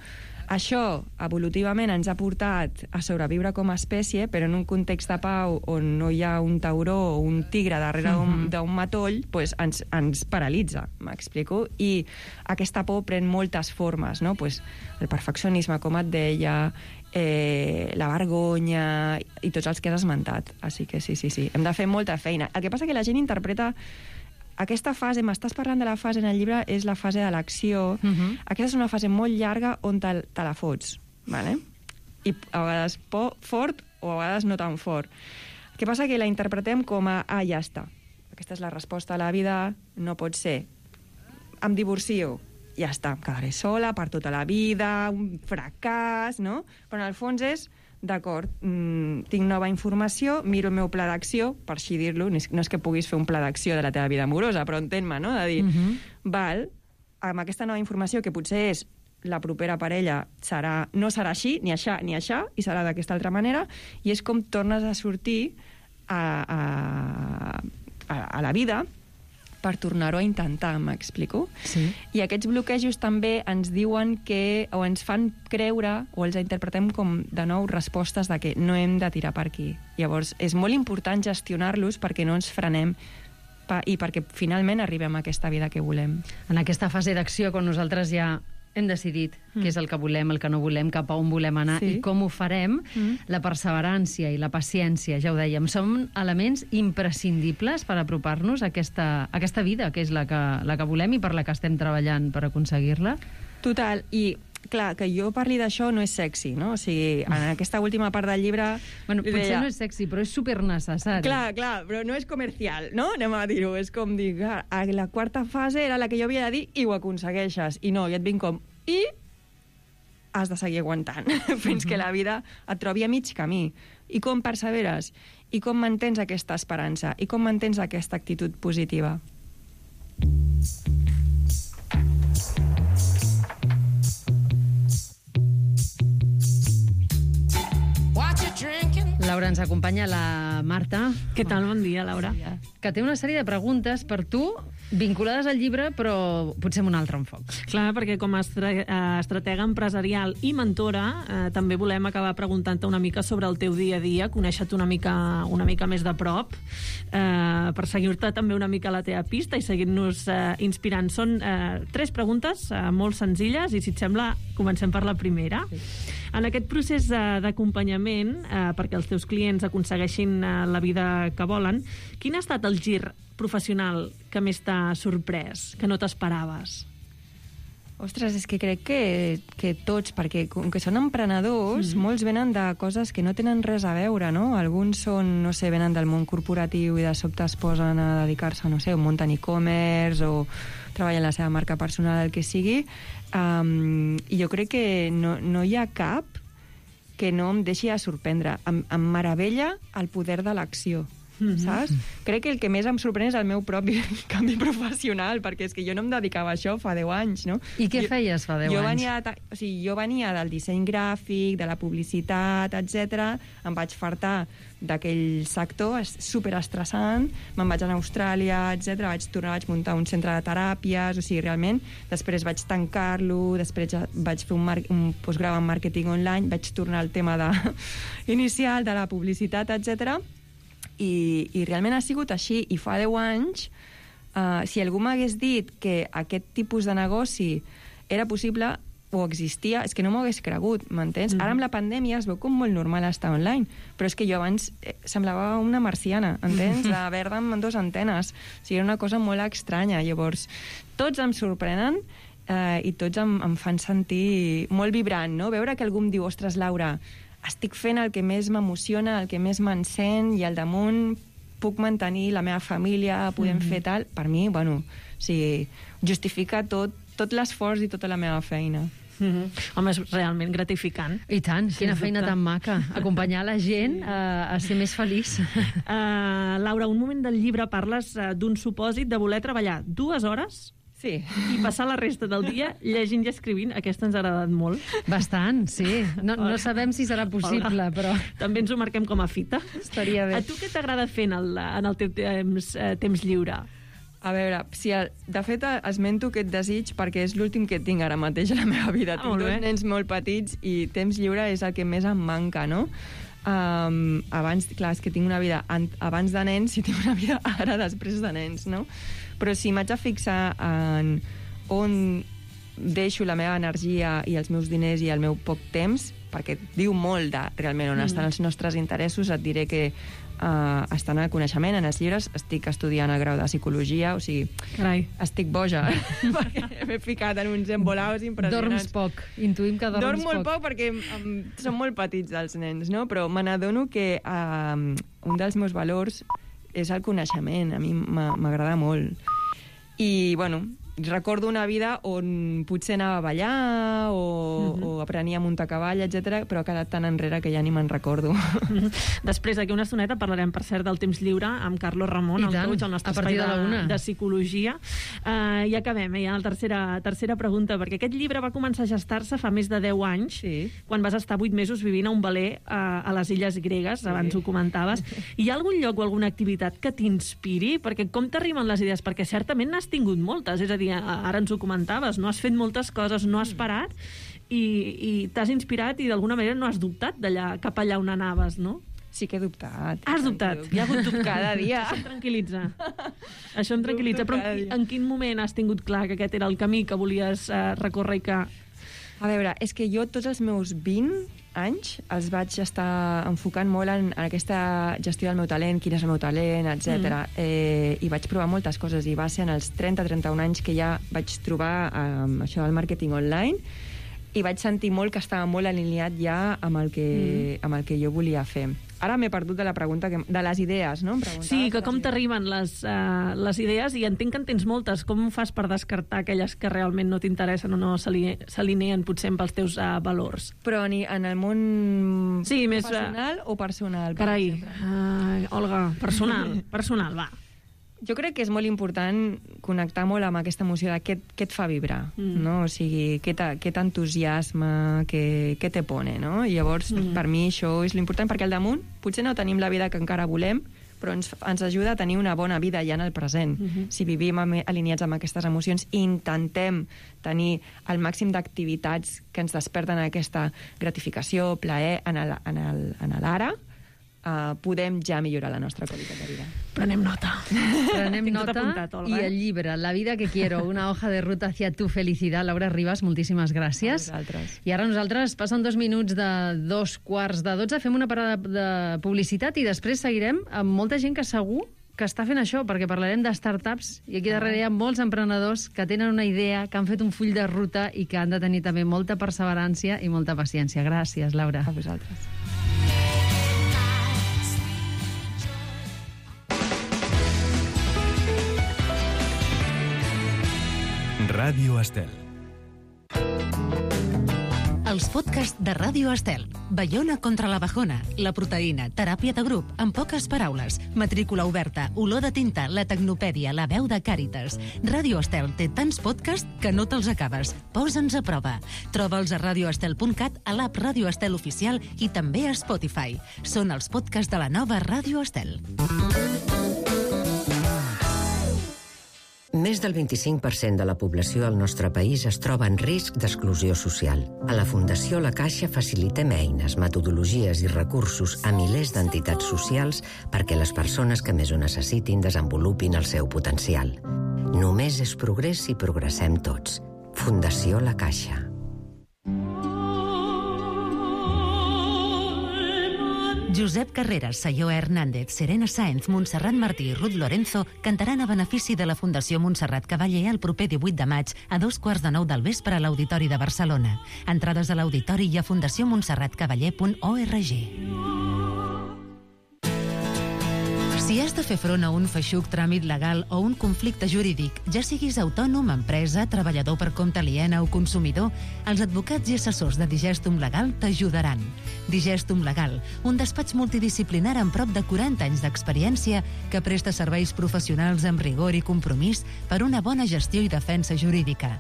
Això, evolutivament, ens ha portat a sobreviure com a espècie, però en un context de pau on no hi ha un tauró o un tigre darrere d'un uh-huh. matoll, pues ens, ens paralitza, m'explico? I aquesta por pren moltes formes, no? Pues el perfeccionisme, com et deia, eh, la vergonya i tots els que has esmentat. Així que sí, sí, sí. Hem de fer molta feina. El que passa que la gent interpreta aquesta fase, m'estàs parlant de la fase en el llibre, és la fase de l'acció. Uh-huh. Aquesta és una fase molt llarga on te, te la fots, vale? I a vegades po, fort o a vegades no tan fort. El que passa que la interpretem com a, ah, ja està. Aquesta és la resposta a la vida, no pot ser. Em divorcio, ja està, em quedaré sola per tota la vida, un fracàs, no? Però en el fons és, d'acord, mmm, tinc nova informació, miro el meu pla d'acció, per així dir-lo, no és que puguis fer un pla d'acció de la teva vida amorosa, però entén-me, no? De dir, uh-huh. val, amb aquesta nova informació, que potser és la propera parella, serà, no serà així, ni això, ni això, i serà d'aquesta altra manera, i és com tornes a sortir a, a, a, a la vida per tornar-ho a intentar, m'explico? Sí. I aquests bloquejos també ens diuen que, o ens fan creure, o els interpretem com, de nou, respostes de que no hem de tirar per aquí. Llavors, és molt important gestionar-los perquè no ens frenem pa, i perquè finalment arribem a aquesta vida que volem. En aquesta fase d'acció, quan nosaltres ja hem decidit mm. què és el que volem, el que no volem, cap a on volem anar sí. i com ho farem, mm. la perseverància i la paciència, ja ho dèiem, són elements imprescindibles per apropar-nos a aquesta, a aquesta vida, que és la que, la que volem i per la que estem treballant per aconseguir-la. Total, i clar, que jo parli d'això no és sexy, no? O sigui, en aquesta última part del llibre... Bueno, potser deia, no és sexy, però és supernecessari. Clar, clar, però no és comercial, no? Anem a dir-ho, és com dir, clar, la quarta fase era la que jo havia de dir i ho aconsegueixes. I no, i et vinc com... I has de seguir aguantant fins que la vida et trobi a mig camí. I com perseveres? I com mantens aquesta esperança? I com mantens aquesta actitud positiva? Laura, ens acompanya la Marta. Què tal? Bon dia, Laura. Bon dia. Que té una sèrie de preguntes per tu vinculades al llibre, però potser amb un altre enfoc. Clar, perquè com a estratega empresarial i mentora eh, també volem acabar preguntant-te una mica sobre el teu dia a dia, conèixer-te una mica, una mica més de prop, eh, per seguir-te també una mica a la teva pista i seguir-nos eh, inspirant. Són eh, tres preguntes eh, molt senzilles i, si et sembla, comencem per la primera. Sí. En aquest procés d'acompanyament, eh, perquè els teus clients aconsegueixin eh, la vida que volen, quin ha estat el gir professional que més t'ha sorprès, que no t'esperaves? Ostres, és que crec que, que tots, perquè com que són emprenedors, mm. molts venen de coses que no tenen res a veure, no? Alguns són, no sé, venen del món corporatiu i de sobte es posen a dedicar-se, no sé, o munten e-commerce o treballen la seva marca personal, el que sigui. Um, I jo crec que no, no hi ha cap que no em deixi de sorprendre. Em, em meravella el poder de l'acció. Mm-hmm. Saps? Crec que el que més em sorprèn és el meu propi canvi professional, perquè és que jo no em dedicava a això fa deu anys, no? I què jo, feies fa deu jo anys? Venia, o sigui, jo venia del disseny gràfic, de la publicitat, etcètera. Em vaig fartar d'aquell sector superestressant, me'n vaig anar a Austràlia, etcètera. Vaig tornar, vaig muntar un centre de teràpies, o sigui, realment, després vaig tancar-lo, després vaig fer un, un postgrau en màrqueting online, vaig tornar al tema de, inicial de la publicitat, etcètera. I, i realment ha sigut així. I fa deu anys, uh, si algú m'hagués dit que aquest tipus de negoci era possible o existia, és que no m'ho hagués cregut, m'entens? Mm-hmm. Ara amb la pandèmia es veu com molt normal estar online, però és que jo abans eh, semblava una marciana, entens? De verda amb dues antenes. O sigui, era una cosa molt estranya. Llavors, tots em sorprenen eh, i tots em, em fan sentir molt vibrant, no? Veure que algú em diu, ostres, Laura, estic fent el que més m'emociona, el que més m'encén, i al damunt puc mantenir la meva família, podem mm-hmm. fer tal. Per mi, bueno, o sigui, justifica tot, tot l'esforç i tota la meva feina. Mm-hmm. Home, és realment gratificant. I tant, quina feina tan maca. Acompanyar la gent a, a ser més feliç. Uh, Laura, un moment del llibre parles uh, d'un supòsit de voler treballar dues hores sí. i passar la resta del dia llegint i escrivint. Aquesta ens ha agradat molt. Bastant, sí. No, no sabem si serà possible, Hola. Però... També ens ho marquem com a fita. Estaria bé. A tu què t'agrada fer en el, en el teu temps, eh, temps lliure? A veure, si el, de fet esmento aquest desig perquè és l'últim que tinc ara mateix a la meva vida. Ah, tinc dos nens molt petits i temps lliure és el que més em manca, no? Um, abans, clar, és que tinc una vida abans de nens i tinc una vida ara després de nens, no? Però si m'haig de fixar en on deixo la meva energia i els meus diners i el meu poc temps, perquè diu molt de realment on mm. estan els nostres interessos. Et diré que uh, estan al coneixement, en els llibres. Estic estudiant el grau de psicologia, o sigui, Carai. estic boja, perquè m'he ficat en uns embolaus impressionants. Dorms poc, intuïm que dorms Dorm molt poc. poc perquè um, són molt petits els nens, no? Però me n'adono que uh, un dels meus valors és el coneixement. A mi m'agrada molt. I, bueno, recordo una vida on potser anava a ballar o, uh-huh. o aprenia a muntar cavall, etcètera, però ha quedat tan enrere que ja ni me'n recordo. Uh-huh. Després, d'aquí una estoneta, parlarem, per cert, del temps lliure amb Carlos Ramon, I el tant, coach, el nostre a partir espai de la una. de, de psicologia. Uh, I acabem, eh, ja la tercera, tercera pregunta, perquè aquest llibre va començar a gestar-se fa més de deu anys, sí. quan vas estar vuit mesos vivint a un veler uh, a les Illes Gregues, sí. abans ho comentaves. Hi ha algun lloc o alguna activitat que t'inspiri? Perquè com t'arriben les idees? Perquè certament n'has tingut moltes, és a dir, ara ens ho comentaves, no has fet moltes coses, no has parat i, i t'has inspirat i d'alguna manera no has dubtat d'allà cap allà on anaves, no? Sí que he dubtat. Has dubtat? Hi ha hagut dubte cada dia. Això em tranquil·litza. Això em tranquil·litza. Però en, en quin moment has tingut clar que aquest era el camí que volies uh, recórrer i que... A veure, és que jo tots els meus vint anys els vaig estar enfocant molt en, en aquesta gestió del meu talent, quin és el meu talent, etcètera. Mm. Eh, I vaig provar moltes coses, i va ser en els trenta trenta un anys que ja vaig trobar eh, això del màrqueting online, i vaig sentir molt que estava molt alineat ja amb el que, mm. amb el que jo volia fer. Ara m'he perdut de la pregunta, que, de les idees, no? Sí, que com t'arriben les, uh, les idees, i entenc que en tens moltes. Com ho fas per descartar aquelles que realment no t'interessen o no s'alineen potser amb els teus uh, valors? Però ni en el món sí, professional més, uh... o personal? Carai, uh, Olga, personal, personal, va. Jo crec que és molt important connectar molt amb aquesta emoció de què, què et fa vibrar, mm. no? O sigui, què t'entusiasma, què, què te pone, no? I llavors, mm. per mi, això és l'important, perquè al damunt potser no tenim la vida que encara volem, però ens, ens ajuda a tenir una bona vida ja en el present. Mm-hmm. Si vivim amb, alineats amb aquestes emocions, intentem tenir el màxim d'activitats que ens desperten aquesta gratificació, plaer en el, en el, en l'ara, Uh, podem ja millorar la nostra qualitat de vida. Prenem nota. Prenem nota apuntat, i el llibre La vida que quiero, una hoja de ruta hacia tu felicidad. Laura Ribas, moltíssimes gràcies. I ara nosaltres, passen dos minuts de dos quarts de dotze, fem una parada de publicitat i després seguirem amb molta gent que segur que està fent això, perquè parlarem de startups i aquí darrere hi ha molts emprenedors que tenen una idea, que han fet un full de ruta i que han de tenir també molta perseverància i molta paciència. Gràcies, Laura. A vosaltres. Ràdio Estel. Els podcasts de Ràdio Estel. Baiona contra la bajona, la proteïna, teràpia de grup, en poques paraules, matrícula oberta, olor de tinta, la tecnopèdia, la veu de Càritas. Ràdio Estel té tants podcasts que no te'ls acabes. Posa'ns a prova. Troba'ls a radioestel punt cat, a l'app Ràdio Estel Oficial i també a Spotify. Són els podcasts de la nova Ràdio Estel. Més del vint-i-cinc per cent de la població del nostre país es troba en risc d'exclusió social. A la Fundació La Caixa facilitem eines, metodologies i recursos a milers d'entitats socials perquè les persones que més ho necessitin desenvolupin el seu potencial. Només és progrés si progressem tots. Fundació La Caixa. Josep Carreras, Sayó Hernández, Serena Sáenz, Montserrat Martí i Ruth Lorenzo cantaran a benefici de la Fundació Montserrat Cavaller el proper divuit de maig a dos quarts de nou del vespre a l'Auditori de Barcelona. Entrades a l'auditori i a fundació montserrat cavaller punt org. Si has de fer front a un feixuc tràmit legal o un conflicte jurídic, ja siguis autònom, empresa, treballador per compte aliena o consumidor, els advocats i assessors de Digestum Legal t'ajudaran. Digestum Legal, un despatx multidisciplinar amb prop de quaranta anys d'experiència que presta serveis professionals amb rigor i compromís per una bona gestió i defensa jurídica.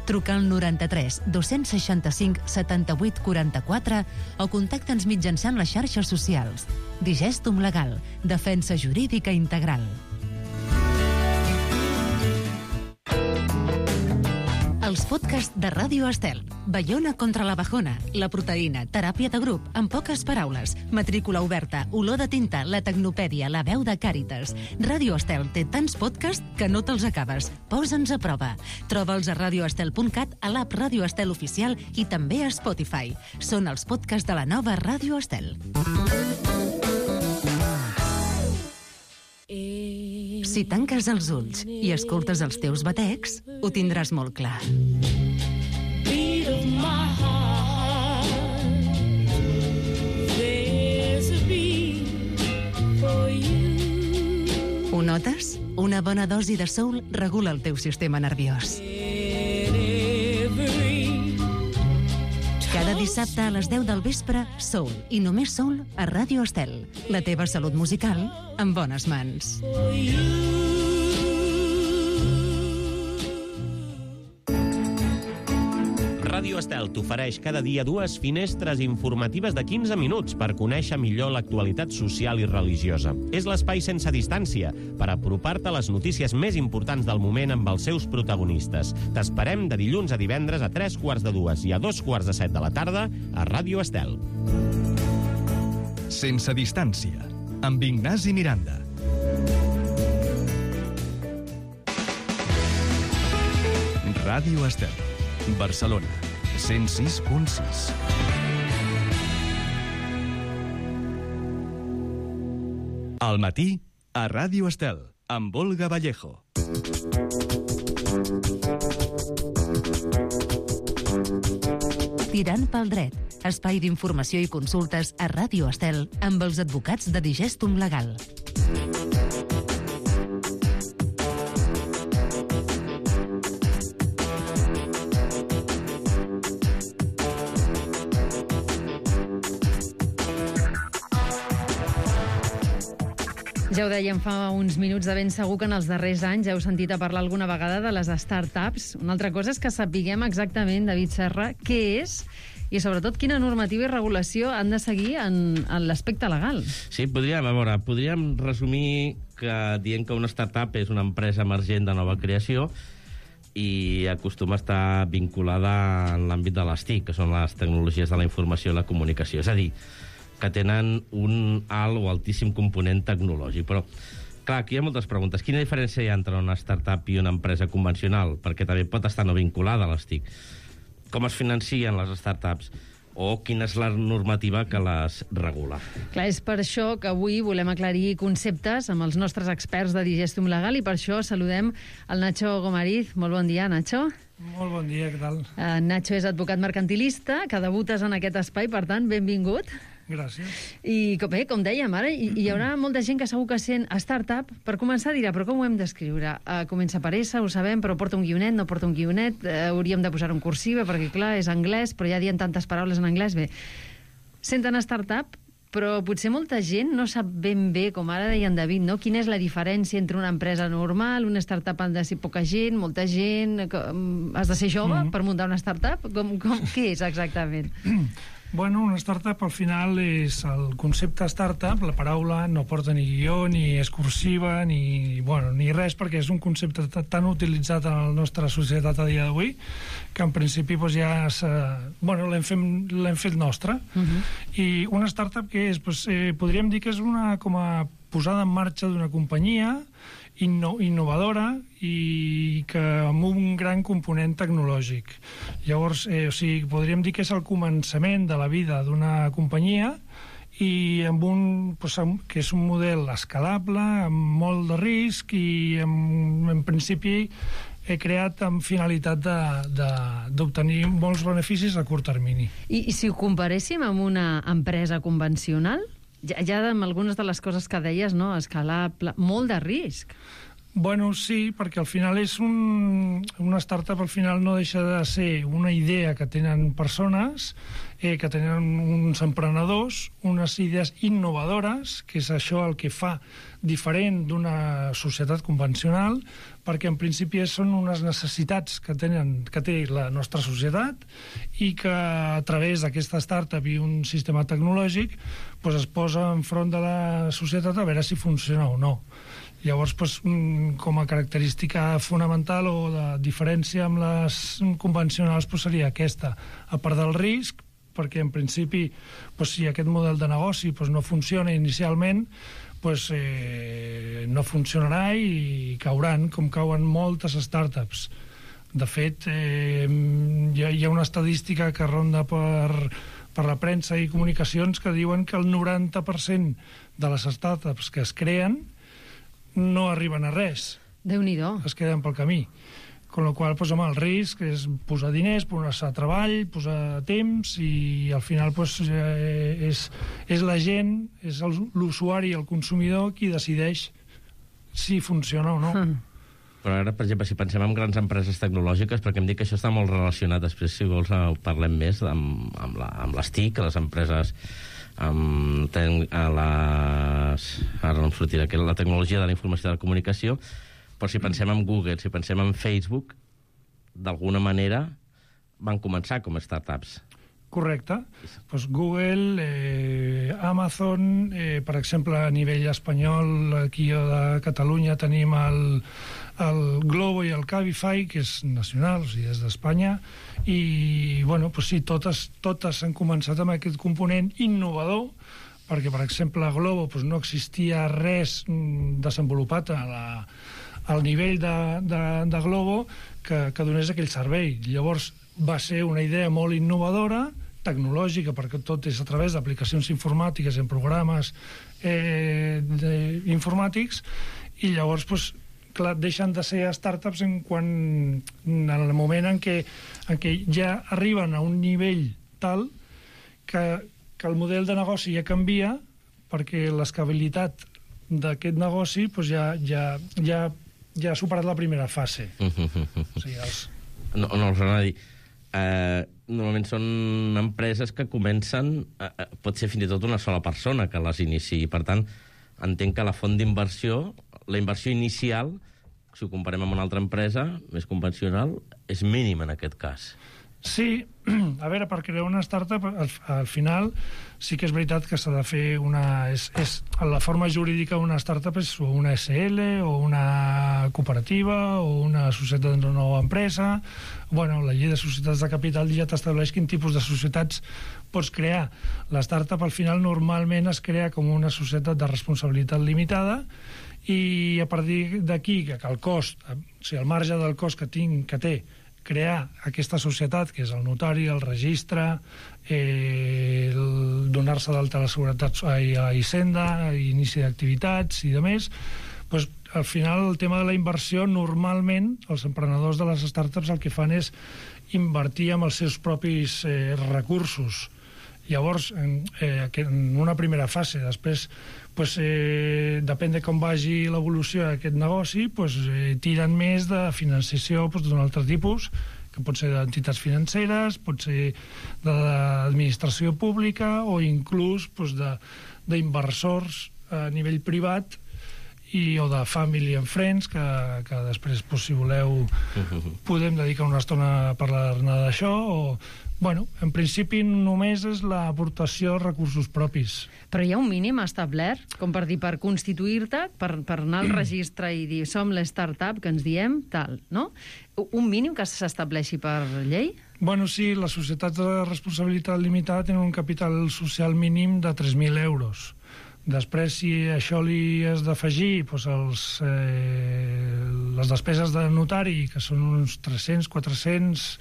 Truca al noranta-tres dos-cents seixanta-cinc setanta-vuit quaranta-quatre o contacta'ns mitjançant les xarxes socials. Digestum Legal, defensa jurídica integral. Els podcasts de Ràdio Estel. Baiona contra la bajona, la proteïna, teràpia de grup, en poques paraules, matrícula oberta, olor de tinta, la tecnopèdia, la veu de Càritas. Ràdio Estel té tants podcasts que no te'ls acabes. Posa'ns a prova. Troba'ls a radioestel punt cat, a l'app Ràdio Estel oficial i també a Spotify. Són els podcasts de la nova Ràdio Estel. Si tanques els ulls i escoltes els teus batecs, ho tindràs molt clar. Ho notes? Una bona dosi de soul regula el teu sistema nerviós. Cada dissabte a les deu del vespre, Soul, i només Soul a Ràdio Estel. La teva salut musical en bones mans. Ràdio Estel t'ofereix cada dia dues finestres informatives de quinze minuts per conèixer millor l'actualitat social i religiosa. És l'espai sense distància per apropar-te a les notícies més importants del moment amb els seus protagonistes. T'esperem de dilluns a divendres a tres quarts de dues i a dos quarts de set de la tarda a Ràdio Estel. Sense distància, amb Ignasi Miranda. Ràdio Estel, Barcelona, cent sis punt sis. Al matí, a Ràdio Estel, amb Olga Vallejo. Tirant pel dret, espai d'informació i consultes a Ràdio Estel amb els advocats de Digestum Legal. Ja ho dèiem fa uns minuts, de ben segur que en els darrers anys heu sentit a parlar alguna vegada de les start-ups. Una altra cosa és que sapiguem exactament, David Serra, què és i sobretot quina normativa i regulació han de seguir en, en l'aspecte legal. Sí, podríem, a veure, podríem resumir que dient que una startup és una empresa emergent de nova creació i acostuma a estar vinculada en l'àmbit de les T I C, que són les tecnologies de la informació i la comunicació. És a dir, que tenen un alt o altíssim component tecnològic. Però, clar, aquí hi ha moltes preguntes. Quina diferència hi ha entre una startup i una empresa convencional? Perquè també pot estar no vinculada a les T I C. Com es financien les startups? O quina és la normativa que les regula? Clar, és per això que avui volem aclarir conceptes amb els nostres experts de Digestum Legal i per això saludem el Nacho Gomariz. Molt bon dia, Nacho. Molt bon dia, què tal? Uh, Nacho és advocat mercantilista, que debutes en aquest espai, per tant, benvingut. Gràcies. I bé, com dèiem, ara hi, hi haurà molta gent que segur que sent startup. Per començar dirà, però com ho hem d'escriure? Uh, comença per S, ho sabem, però porta un guionet, no porta un guionet, uh, hauríem de posar un cursiva, perquè clar, és anglès, però ja dient tantes paraules en anglès. Bé, senten startup, però potser molta gent no sap ben bé, com ara deia en David, no? Quina és la diferència entre una empresa normal, una startup ha de ser poca gent, molta gent, has de ser jove mm-hmm. per muntar una startup? Com, com, què és exactament? Bueno, una startup al final és el concepte startup, la paraula no porta ni guió, ni és cursiva, ni, bueno, ni res, perquè és un concepte tan utilitzat en la nostra societat a dia d'avui que en principi doncs, ja bueno, l'hem fet, l'hem fet nostre. Uh-huh. I una startup que és? Pues, eh, podríem dir que és una com a posada en marxa d'una companyia inno, innovadora i que amb un gran component tecnològic. Llavors, eh, o sigui, podríem dir que és el començament de la vida d'una companyia i amb un, pues, que és un model escalable, amb molt de risc i en, en principi he creat amb finalitat d'obtenir molts beneficis a curt termini. I, I si ho comparéssim amb una empresa convencional, ja, ja amb algunes de les coses que deies, no? Escalable, molt de risc. Bueno, sí, perquè al final és un, una startup al final no deixa de ser una idea que tenen persones, eh, que tenen uns emprenedors, unes idees innovadores, que és això el que fa diferent d'una societat convencional, perquè en principi són unes necessitats que, tenen, que té la nostra societat i que a través d'aquesta startup i un sistema tecnològic pues, es posa enfront de la societat a veure si funciona o no. Llavors, doncs, com a característica fonamental o de diferència amb les convencionals, doncs, seria aquesta. A part del risc, perquè en principi, doncs, si aquest model de negoci doncs, no funciona inicialment, doncs, eh, no funcionarà i cauran, com cauen moltes startups. De fet, eh, hi, ha, hi ha una estadística que ronda per, per la premsa i comunicacions que diuen que el noranta per cent de les startups que es creen no arriben a res. Déu-n'hi-do. Es queden pel camí. Con la qual cosa, home, el risc és posar diners, posar treball, posar temps, i al final pues, eh, és, és la gent, és l'usuari, el consumidor, qui decideix si funciona o no. Mm. Però ara, per exemple, si pensem en grans empreses tecnològiques, perquè em dic que això està molt relacionat, després, si vols, parlem més amb, amb, la, amb les T I C, les empreses amb ten, a les... ara no em sortirà, que la tecnologia de la informació i de la comunicació, però si pensem en Google, si pensem en Facebook, d'alguna manera van començar com a startups. Correcte. Pues Google, eh, Amazon, eh, per exemple, a nivell espanyol, aquí a Catalunya tenim el, el Globo i el Cabify, que és nacional, o sigui, és d'Espanya, i, bueno, pues sí, totes, totes han començat amb aquest component innovador, perquè, per exemple, a Globo pues, no existia res desenvolupat a la, al nivell de, de, de Globo que, que donés aquell servei. Llavors, va ser una idea molt innovadora, tecnològica, perquè tot és a través d'aplicacions informàtiques, en programes eh, de, informàtics, i llavors, pues, clar, deixen de ser startups en quan, en el moment en què, en què ja arriben a un nivell tal que, que el model de negoci ja canvia, perquè l'escalabilitat d'aquest negoci pues, ja, ja, ja, ja ha superat la primera fase. O sigui, els... No, no els anava a dir... Uh, normalment són empreses que comencen, uh, pot ser fins i tot una sola persona que les iniciï. Per tant, entenc que la font d'inversió, la inversió inicial, si ho comparem amb una altra empresa més convencional, és mínima en aquest cas. Sí, a veure, per crear una startup, al, al final sí que és veritat que s'ha de fer una... És, és, la forma jurídica d'una startup és o una S L, o una cooperativa, o una societat de nova empresa. Bueno, la llei de societats de capital ja t'estableix quin tipus de societats pots crear. La startup, al final, normalment es crea com una societat de responsabilitat limitada, i a partir d'aquí, que el cost, o sigui, el marge del cost que tinc, que té, crear aquesta societat, que és el notari, el registre, eh, donar-se d'alta a la seguretat a la Hisenda, inici d'activitats i de més, doncs, al final el tema de la inversió, normalment els emprenedors de les startups el que fan és invertir amb els seus propis eh, recursos. Llavors, en, eh, en una primera fase, després, pues, eh, depèn de com vagi l'evolució d'aquest negoci, pues, eh, tiren més de financiació pues, d'un altre tipus, que pot ser d'entitats financeres, pot ser d'administració pública o inclús pues, d'inversors a nivell privat i, o de family and friends, que, que després, pues, si voleu, podem dedicar una estona a parlar-ne d'això, o... Bueno, en principi només és l'aportació de recursos propis. Però hi ha un mínim establert, com per dir, per constituir-te, per, per anar al registre i dir som la startup que ens diem, tal, no? Un mínim que s'estableixi per llei? Bueno, sí, les societats de responsabilitat limitada tenen un capital social mínim de tres mil euros. Després, si això li has d'afegir doncs els, eh, les despeses de notari, que són uns tres-cents, quatre-cents,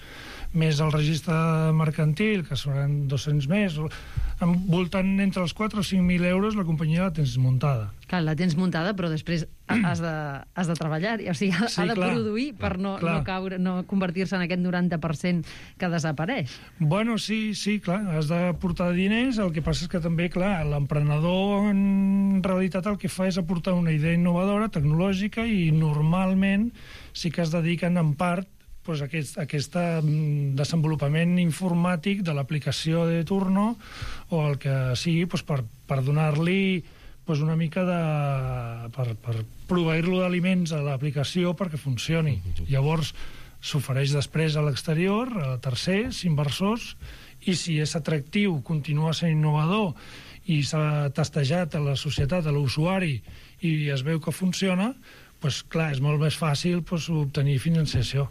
més el registre mercantil, que seran dos-cents més, voltant entre els quatre o cinc mil euros, la companyia la tens muntada. Clar, la tens muntada, però després has de, has de treballar, o sigui, ha, sí, ha de clar, produir per no, no, caure, no convertir-se en aquest noranta per cent que desapareix. Bueno, sí, sí, clar, has de portar diners, el que passa és que també, clar, l'emprenedor en realitat el que fa és aportar una idea innovadora, tecnològica, i normalment sí que es dediquen en part pues, aquest, aquest desenvolupament informàtic de l'aplicació de turno o el que sigui pues, per, per donar-li pues, una mica de... per, per proveir-lo d'aliments a l'aplicació perquè funcioni. Llavors s'ofereix després a l'exterior, a tercers, inversors, i si és atractiu, continua sent innovador i s'ha testejat a la societat, a l'usuari, i es veu que funciona, doncs clar, és molt més fàcil doncs, obtenir financiació.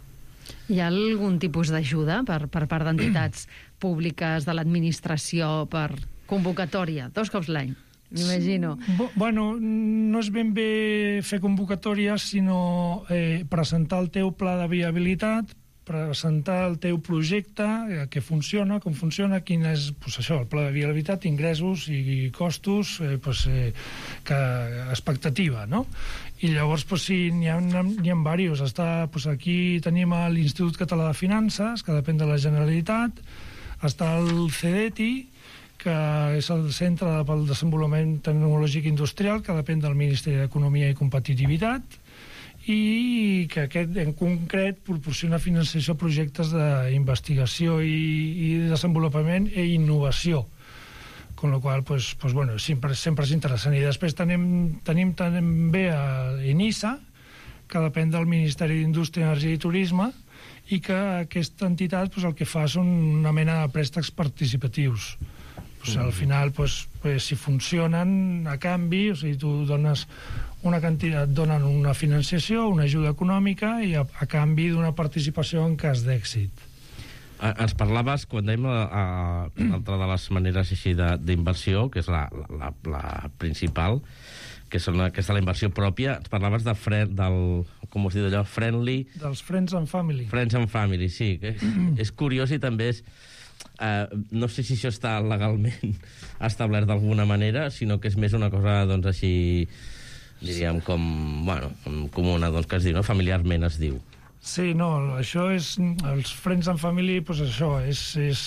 Hi ha algun tipus d'ajuda per, per part d'entitats públiques de l'administració per convocatòria, dos cops l'any, m'imagino? Bo, bueno, no és ben bé fer convocatòries, sinó eh, presentar el teu pla de viabilitat, presentar el teu projecte, eh, que funciona, com funciona, quin és pues, això, el pla de viabilitat, ingressos i costos, eh, pues, eh, que, expectativa, no? I llavors, pues, sí, n'hi ha, n'hi ha diversos. Està, pues, aquí tenim l'Institut Català de Finances, que depèn de la Generalitat, està el CEDETI, que és el Centre pel Desenvolupament Tecnològic Industrial, que depèn del Ministeri d'Economia i Competitivitat, i que aquest en concret proporciona financiació a projectes d'investigació i, i desenvolupament i innovació, con lo qual pues, pues, bueno, sempre, sempre és interessant. I després tenim, tenim també a ENISA, que depèn del Ministeri d'Indústria, Energia i Turisme, i que aquesta entitat pues, el que fa són una mena de préstecs participatius. Pues, al final, pues, pues, si funcionen a canvi, o sigui, tu dones una quantitat, donen una financiació, una ajuda econòmica i a, a canvi d'una participació en cas d'èxit. Ens parlaves, quan dèiem una altra de les maneres així d'inversió, que és la, la, la principal, que és aquesta la inversió pròpia, ens parlaves de friend, del, com us diu allò, friendly... Dels Friends and Family. Friends and Family, sí. És, és curiós i també és... Uh, no sé si això està legalment establert d'alguna manera, sinó que és més una cosa, doncs, així, diríem, com, bueno, comuna, doncs, que es diu, no? Familiarment es diu. Sí, no, això és... Els Friends and Family, doncs això, és, és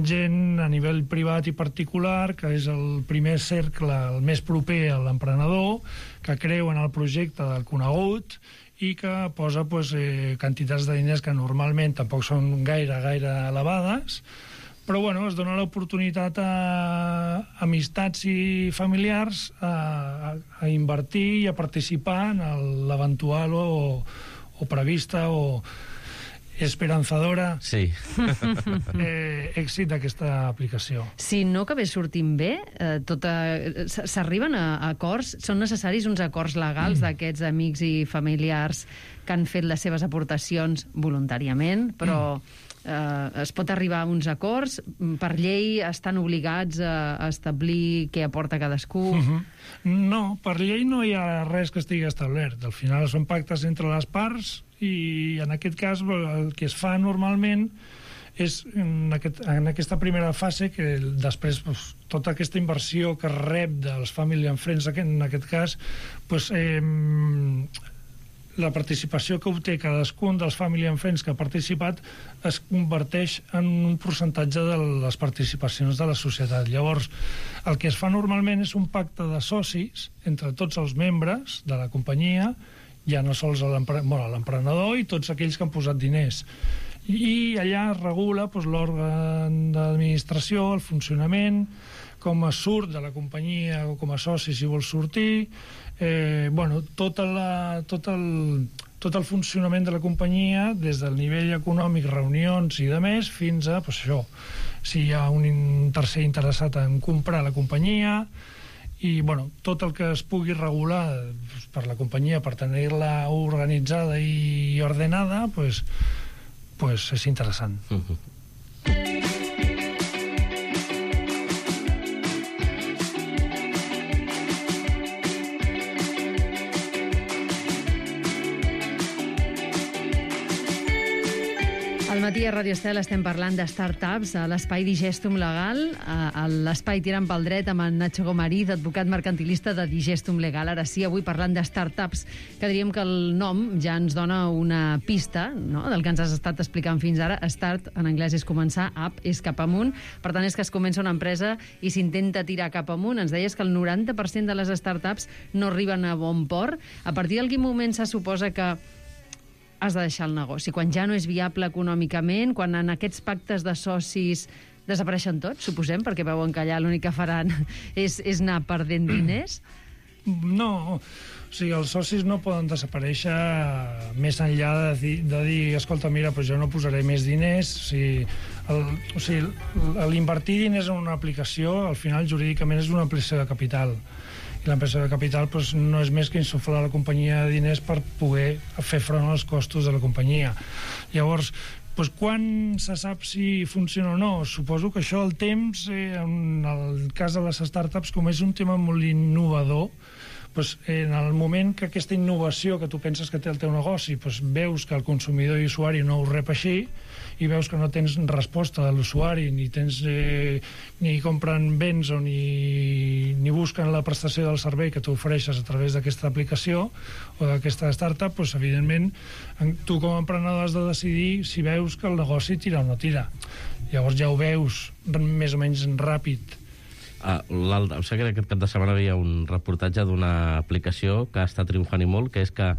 gent a nivell privat i particular, que és el primer cercle, el més proper a l'emprenedor, que creu en el projecte del conegut i que posa pues, eh, quantitats de diners que normalment tampoc són gaire, gaire elevades, però bueno, es dona l'oportunitat a amistats i familiars a, a, a invertir i a participar en l'eventual o, o prevista o esperanzadora sí. eh, èxit d'aquesta aplicació. Si no acabés sortint bé, eh, tota... s'arriben a, a acords? Són necessaris uns acords legals mm. d'aquests amics i familiars que han fet les seves aportacions voluntàriament, però eh, es pot arribar a uns acords? Per llei estan obligats a, a establir què aporta cadascú? Mm-hmm. No, per llei no hi ha res que estigui establert. Al final són pactes entre les parts i en aquest cas el que es fa normalment és en, aquest, en aquesta primera fase que després pues, tota aquesta inversió que rep dels Family and Friends en aquest cas pues, eh, la participació que obté cadascun dels Family and Friends que ha participat es converteix en un percentatge de les participacions de la societat. Llavors el que es fa normalment és un pacte de socis entre tots els membres de la companyia, ja no sols l'emprenedor i tots aquells que han posat diners. I allà es regula doncs, l'òrgan d'administració, el funcionament, com es surt de la companyia o com a soci si vol sortir, eh, bueno, tot, la, tot, el, tot el funcionament de la companyia, des del nivell econòmic, reunions i de més, fins a doncs, això, si hi ha un tercer interessat en comprar la companyia, i bueno, tot el que es pugui regular per la companyia per tenir-la organitzada i ordenada pues, pues és interessant. Uh-huh. Al matí a Radio Estel estem parlant de start-ups a l'espai Digestum Legal, a l'espai Tirant pel Dret amb en Nacho Gomariz, advocat mercantilista de Digestum Legal. Ara sí, avui parlant de start-ups, que diríem que el nom ja ens dona una pista, no?, del que ens has estat explicant fins ara. Start, en anglès, és començar, up és cap amunt, per tant és que es comença una empresa i s'intenta tirar cap amunt. Ens deies que el noranta per cent de les start-ups no arriben a bon port. A partir del quin moment se suposa que has de deixar el negoci? Quan ja no és viable econòmicament, quan en aquests pactes de socis desapareixen tots, suposem, perquè veuen que allà l'únic que faran és, és anar perdent diners? No, o sigui, els socis no poden desaparèixer més enllà de dir, de dir escolta, mira, però jo no posaré més diners. O sigui, el, o sigui, l'invertir diners en una aplicació, al final, jurídicament, és una ampliació de capital. I l'ampliació de capital doncs, no és més que insuflar a la companyia de diners per poder fer front als costos de la companyia. Llavors, doncs, quan se sap si funciona o no? Suposo que això, el temps, eh, en el cas de les startups, com és un tema molt innovador, doncs, en el moment que aquesta innovació que tu penses que té el teu negoci, doncs, veus que el consumidor i usuari no ho rep així, i veus que no tens resposta de l'usuari, ni tens eh, ni compren béns o ni, ni busquen la prestació del servei que tu ofereixes a través d'aquesta aplicació o d'aquesta startup, doncs, evidentment, tu com a emprenedor has de decidir si veus que el negoci tira o no tira. Llavors ja ho veus més o menys ràpid. Uh, em sembla que aquest cap de setmana hi havia un reportatge d'una aplicació que està triomfant i molt, que és que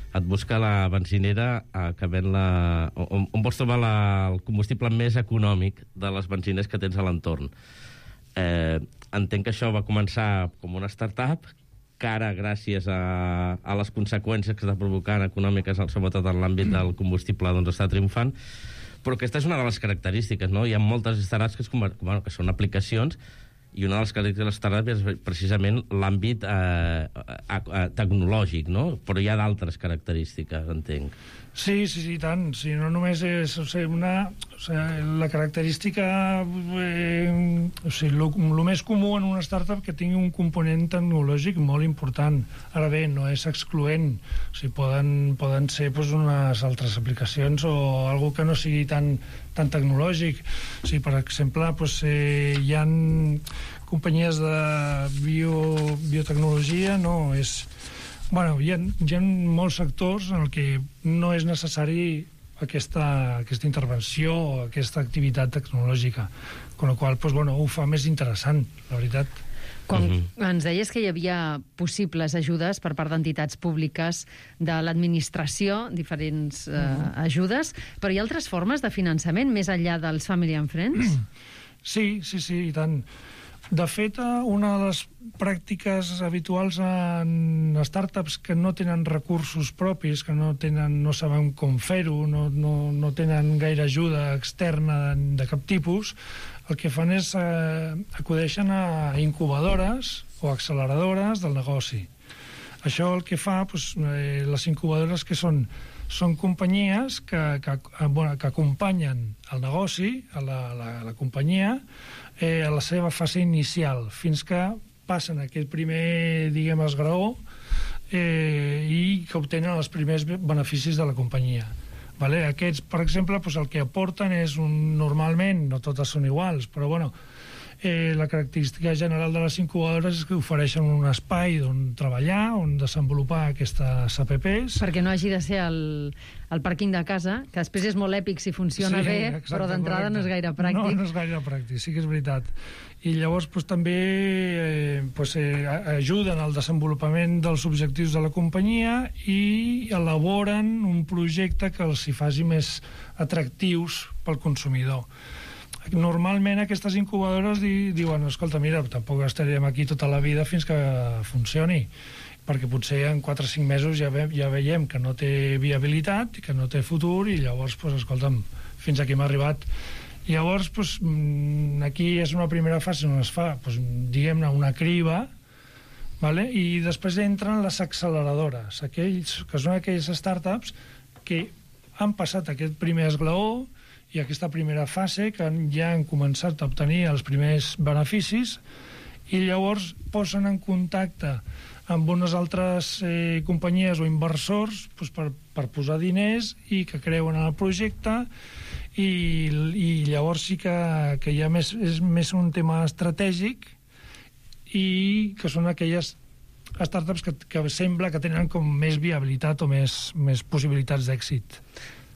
et busca la benzinera uh, que ven la... on, on vols trobar la, el combustible més econòmic de les benzines que tens a l'entorn. Eh, entenc que això va començar com una startup, que ara, gràcies a, a les conseqüències que està provocant econòmiques, sobretot en l'àmbit del combustible, doncs està triomfant, però aquesta és una de les característiques, no? Hi ha moltes startups que, es, bueno, que són aplicacions, i una de les característiques de les startups és precisament l'àmbit eh, eh, tecnològic, no? Però hi ha d'altres característiques, entenc. Sí, sí, sí, tant. Sí, no només és o sigui, una... O sigui, la característica... Eh, o sigui, el més comú en una startup que tingui un component tecnològic molt important. Ara bé, no és excloent. O sigui, poden, poden ser doncs, unes altres aplicacions o algo que no sigui tan, tan tecnològic. O sigui, per exemple, doncs, eh, hi ha companyies de bio, biotecnologia, no? És... Bueno, hi ha, hi ha molts sectors en el que no és necessari aquesta, aquesta intervenció o aquesta activitat tecnològica, amb la qual cosa, doncs, bueno, ho fa més interessant, la veritat. Quan uh-huh. ens deies que hi havia possibles ajudes per part d'entitats públiques de l'administració, diferents uh, uh-huh. ajudes, però hi ha altres formes de finançament més enllà dels Family and Friends? Sí, sí, sí, i tant. De fet, una de les pràctiques habituals en startups que no tenen recursos propis, que no, tenen, no saben com fer-ho, no, no, no tenen gaire ajuda externa de, de cap tipus, el que fan és eh, acudeixen a incubadores o acceleradores del negoci. Això el que fa, doncs, eh, les incubadores que són són companyies que, que, bueno, que acompanyen el negoci, a la, la, la companyia, eh, a la seva fase inicial, fins que passen aquest primer, diguem, esgraó eh, i que obtenen els primers beneficis de la companyia. Vale? Aquests, per exemple, doncs el que aporten és un... Normalment, no totes són iguals, però bueno, eh, la característica general de les incubadores és que ofereixen un espai on treballar, on desenvolupar aquestes A P Pes. Perquè no hagi de ser el, el pàrquing de casa, que després és molt èpic si funciona sí, bé, exacte, però d'entrada no és gaire pràctic. No, no és gaire pràctic, sí que és veritat. I llavors doncs, també eh, doncs, eh, ajuden al desenvolupament dels objectius de la companyia i elaboren un projecte que els hi faci més atractius pel consumidor. Normalment aquestes incubadores di, diuen, escolta, mira, tampoc estarem aquí tota la vida fins que funcioni, perquè potser en quatre o cinc mesos ja, ve, ja veiem que no té viabilitat, que no té futur, i llavors, pues, escolta'm, fins aquí hem arribat. Llavors, pues, aquí és una primera fase on es fa, pues, diguem-ne, una criba, vale? I després entren les acceleradores, aquells que són aquelles startups que han passat aquest primer esglaó i aquesta primera fase, que ja han començat a obtenir els primers beneficis, i llavors posen en contacte amb unes altres eh, companyies o inversors doncs, per, per posar diners i que creuen en el projecte, i, i llavors sí que, que ja més, és més un tema estratègic, i que són aquelles startups que, que sembla que tenen com més viabilitat o més, més possibilitats d'èxit.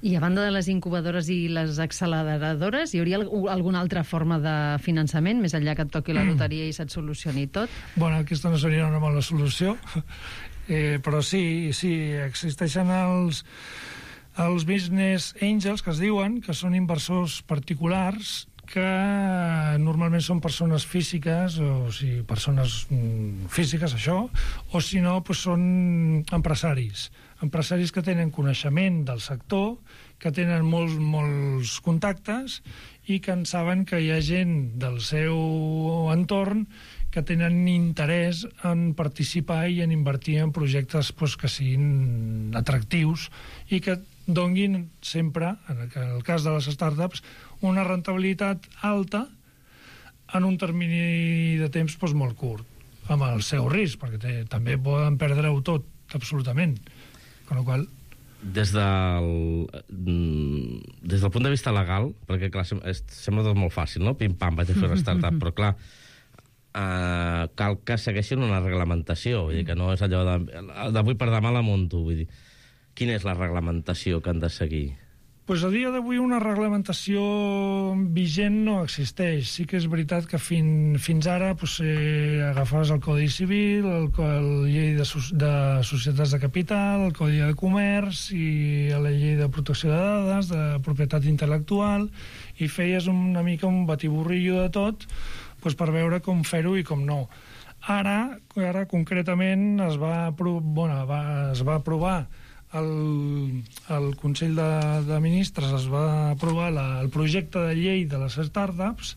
I a banda de les incubadores i les acceleradores, hi hauria alguna altra forma de finançament, més enllà que et toqui la loteria i se't solucioni tot? Bueno, aquesta no seria una mala solució, eh, però sí, sí, existeixen els, els business angels, que es diuen, que són inversors particulars que normalment són persones físiques, o sigui, persones mm, físiques, això, o si no, doncs són empresaris. Empresaris que tenen coneixement del sector, que tenen molts, molts contactes i que en saben que hi ha gent del seu entorn que tenen interès en participar i en invertir en projectes doncs, que siguin atractius i que donguin sempre, en el cas de les startups, una rentabilitat alta en un termini de temps doncs, molt curt, amb el seu risc, perquè té, també poden perdre-ho tot, absolutament. Con la qual... Des del, des del punt de vista legal, perquè clar, sembla tot molt fàcil, no? Pim-pam, vaig a fer una startup, però clar, eh, cal que segueixin una reglamentació, vull dir que no és allò de, d'avui per demà la munto, vull dir, quina és la reglamentació que han de seguir? Pues a dia d'avui una reglamentació vigent no existeix. Sí que és veritat que fin, fins ara pues, eh, agafaves el Codi Civil, el, el llei de, de societats de capital, el Codi de Comerç i la llei de protecció de dades, de propietat intel·lectual, i feies una mica un batiburrillo de tot pues, per veure com fer-ho i com no. Ara, ara concretament, es va, bueno, va, es va aprovar El, el Consell de, de Ministres es va aprovar la, el projecte de llei de les startups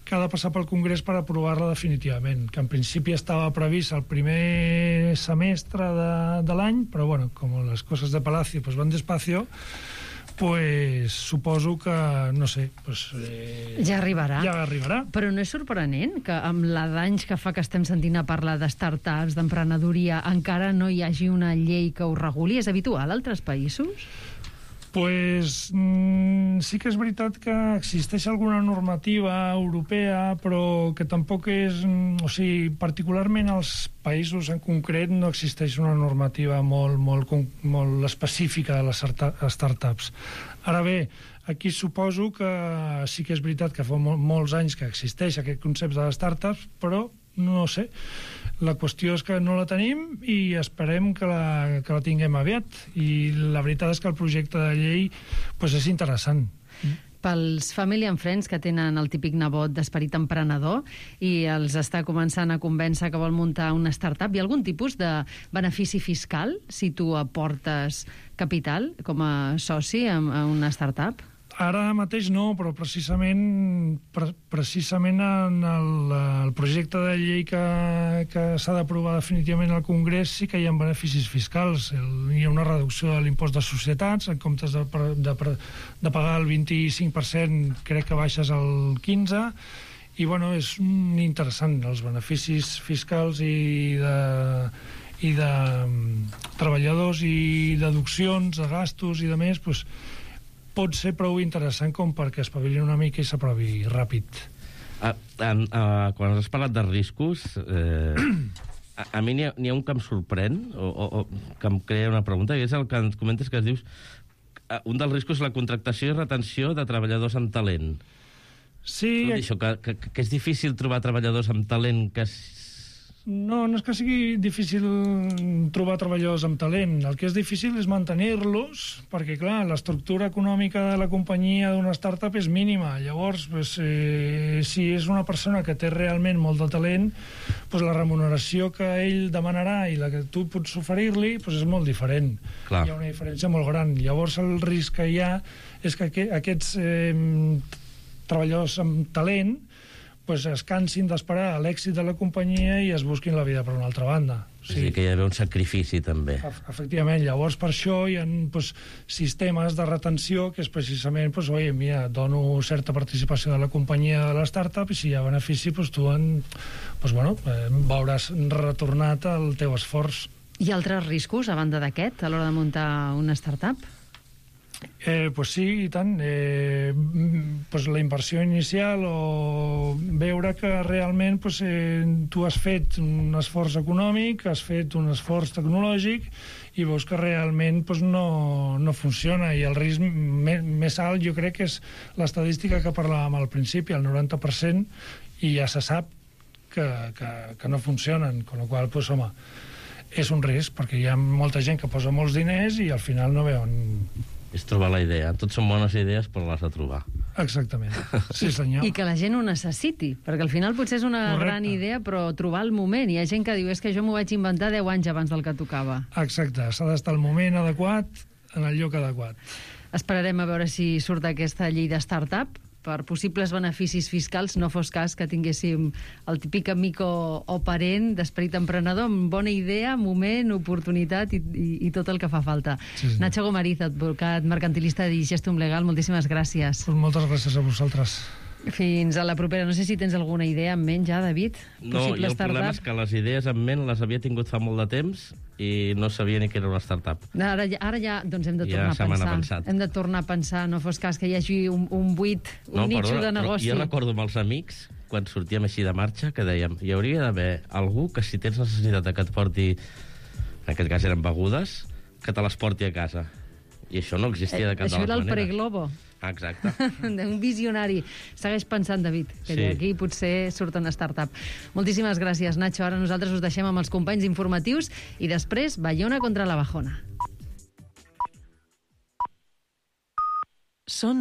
que ha de passar pel Congrés per aprovar-la definitivament, que en principi estava previst el primer semestre de, de l'any, però bueno, com les coses de Palacio pues, van despacio, pues suposo que, no sé... Pues, eh, ja arribarà. Ja arribarà. Però no és sorprenent que amb la d'anys que fa que estem sentint a parlar de startups, d'emprenedoria, encara no hi hagi una llei que ho reguli? És habitual a altres països? Pues mm, sí que és veritat que existeix alguna normativa europea, però que tampoc és... O sigui, particularment als països en concret no existeix una normativa molt, molt, molt específica de les startups. Ara bé, aquí suposo que sí que és veritat que fa mol, molts anys que existeix aquest concepte de startups, però no sé. La qüestió és que no la tenim i esperem que la, que la tinguem aviat. I la veritat és que el projecte de llei pues, és interessant. Pels family and friends que tenen el típic nebot d'esperit emprenedor i els està començant a convèncer que vol muntar una startup, hi ha algun tipus de benefici fiscal si tu aportes capital com a soci a una startup? Ara mateix no, però precisament, pre precisament en el, el projecte de llei que, que s'ha d'aprovar definitivament al Congrés sí que hi ha beneficis fiscals. El, hi ha una reducció de l'impost de societats, en comptes de, de, de pagar el vint-i-cinc per cent crec que baixes al quinze per cent, i bueno, és interessant, els beneficis fiscals i de, i de treballadors i deduccions de gastos i de més, doncs, pot ser prou interessant com perquè espavilin una mica i s'aprovi ràpid. A, a, a, quan has parlat de riscos, eh, a, a mi n'hi ha, ha un que em sorprèn, o, o, o que em crea una pregunta, i és el que ens comentes que es dius un dels riscos és la contractació i retenció de treballadors amb talent. Sí. Això, que, que, que és difícil trobar treballadors amb talent que... No, no és que sigui difícil trobar treballadors amb talent. El que és difícil és mantenir-los, perquè, clar, l'estructura econòmica de la companyia d'una startup és mínima. Llavors, pues, eh, si és una persona que té realment molt de talent, pues, la remuneració que ell demanarà i la que tu pots oferir-li pues, és molt diferent. Clar. Hi ha una diferència molt gran. Llavors, el risc que hi ha és que aquests eh, treballadors amb talent pues es cansin d'esperar l'èxit de la companyia i es busquin la vida per una altra banda. O sigui que hi ha d'haver un sacrifici, també. Efectivament, llavors per això hi ha pues, sistemes de retenció que és precisament, pues, oi, mira, dono certa participació de la companyia de la startup i si hi ha benefici, pues, tu en, pues, bueno, eh, veuràs retornat el teu esforç. Hi ha altres riscos, a banda d'aquest, a l'hora de muntar una startup? Eh, pues sí, i tant. Eh, pues la inversió inicial o veure que realment pues, eh, tu has fet un esforç econòmic, has fet un esforç tecnològic i veus que realment pues, no, no funciona. I el risc més, més alt jo crec que és l'estadística que parlàvem al principi, el noranta per cent, i ja se sap que, que, que no funcionen, con la qual pues, home, és un risc, perquè hi ha molta gent que posa molts diners i al final no veuen... És trobar la idea. Tot són bones idees, però l'has de trobar. Exactament, sí senyor. I que la gent ho necessiti, perquè al final potser és una Correcte. gran idea, però trobar el moment. Hi ha gent que diu, és que jo m'ho vaig inventar deu anys abans del que tocava. Exacte, s'ha d'estar al moment adequat, en el lloc adequat. Esperarem a veure si surt aquesta llei de start-up per possibles beneficis fiscals, no fos cas que tinguéssim el típic amic o, o parent d'esperit emprenedor amb bona idea, moment, oportunitat i, i, i tot el que fa falta. Sí, sí. Nacho Gomariz, advocat mercantilista de Gestum Legal, moltíssimes gràcies. Pues moltes gràcies a vosaltres. Fins a la propera. No sé si tens alguna idea en ment ja, David? No, i el problema és que les idees en ment les havia tingut fa molt de temps i no sabia ni que era una startup. Ara, ja- ara ja doncs hem de Ja tornar se a m'ha pensar. pensat. Hem de tornar a pensar, no fos cas que hi hagi un, un buit, un No, nitxo perdona, de però negoci. jo recordo amb els amics, quan sortíem així de marxa, que dèiem, hi hauria d'haver algú que si tens necessitat de que et porti, en aquest cas eren begudes, que te les porti a casa. I això no existia de cap Això de era les el maneres. Preglobo. Exacte. Un visionari. Segueix pensant, David, que Sí. d'aquí potser surt una startup. Moltíssimes gràcies, Nacho. Ara nosaltres us deixem amb els companys informatius i després Bayona contra la Bajona. Són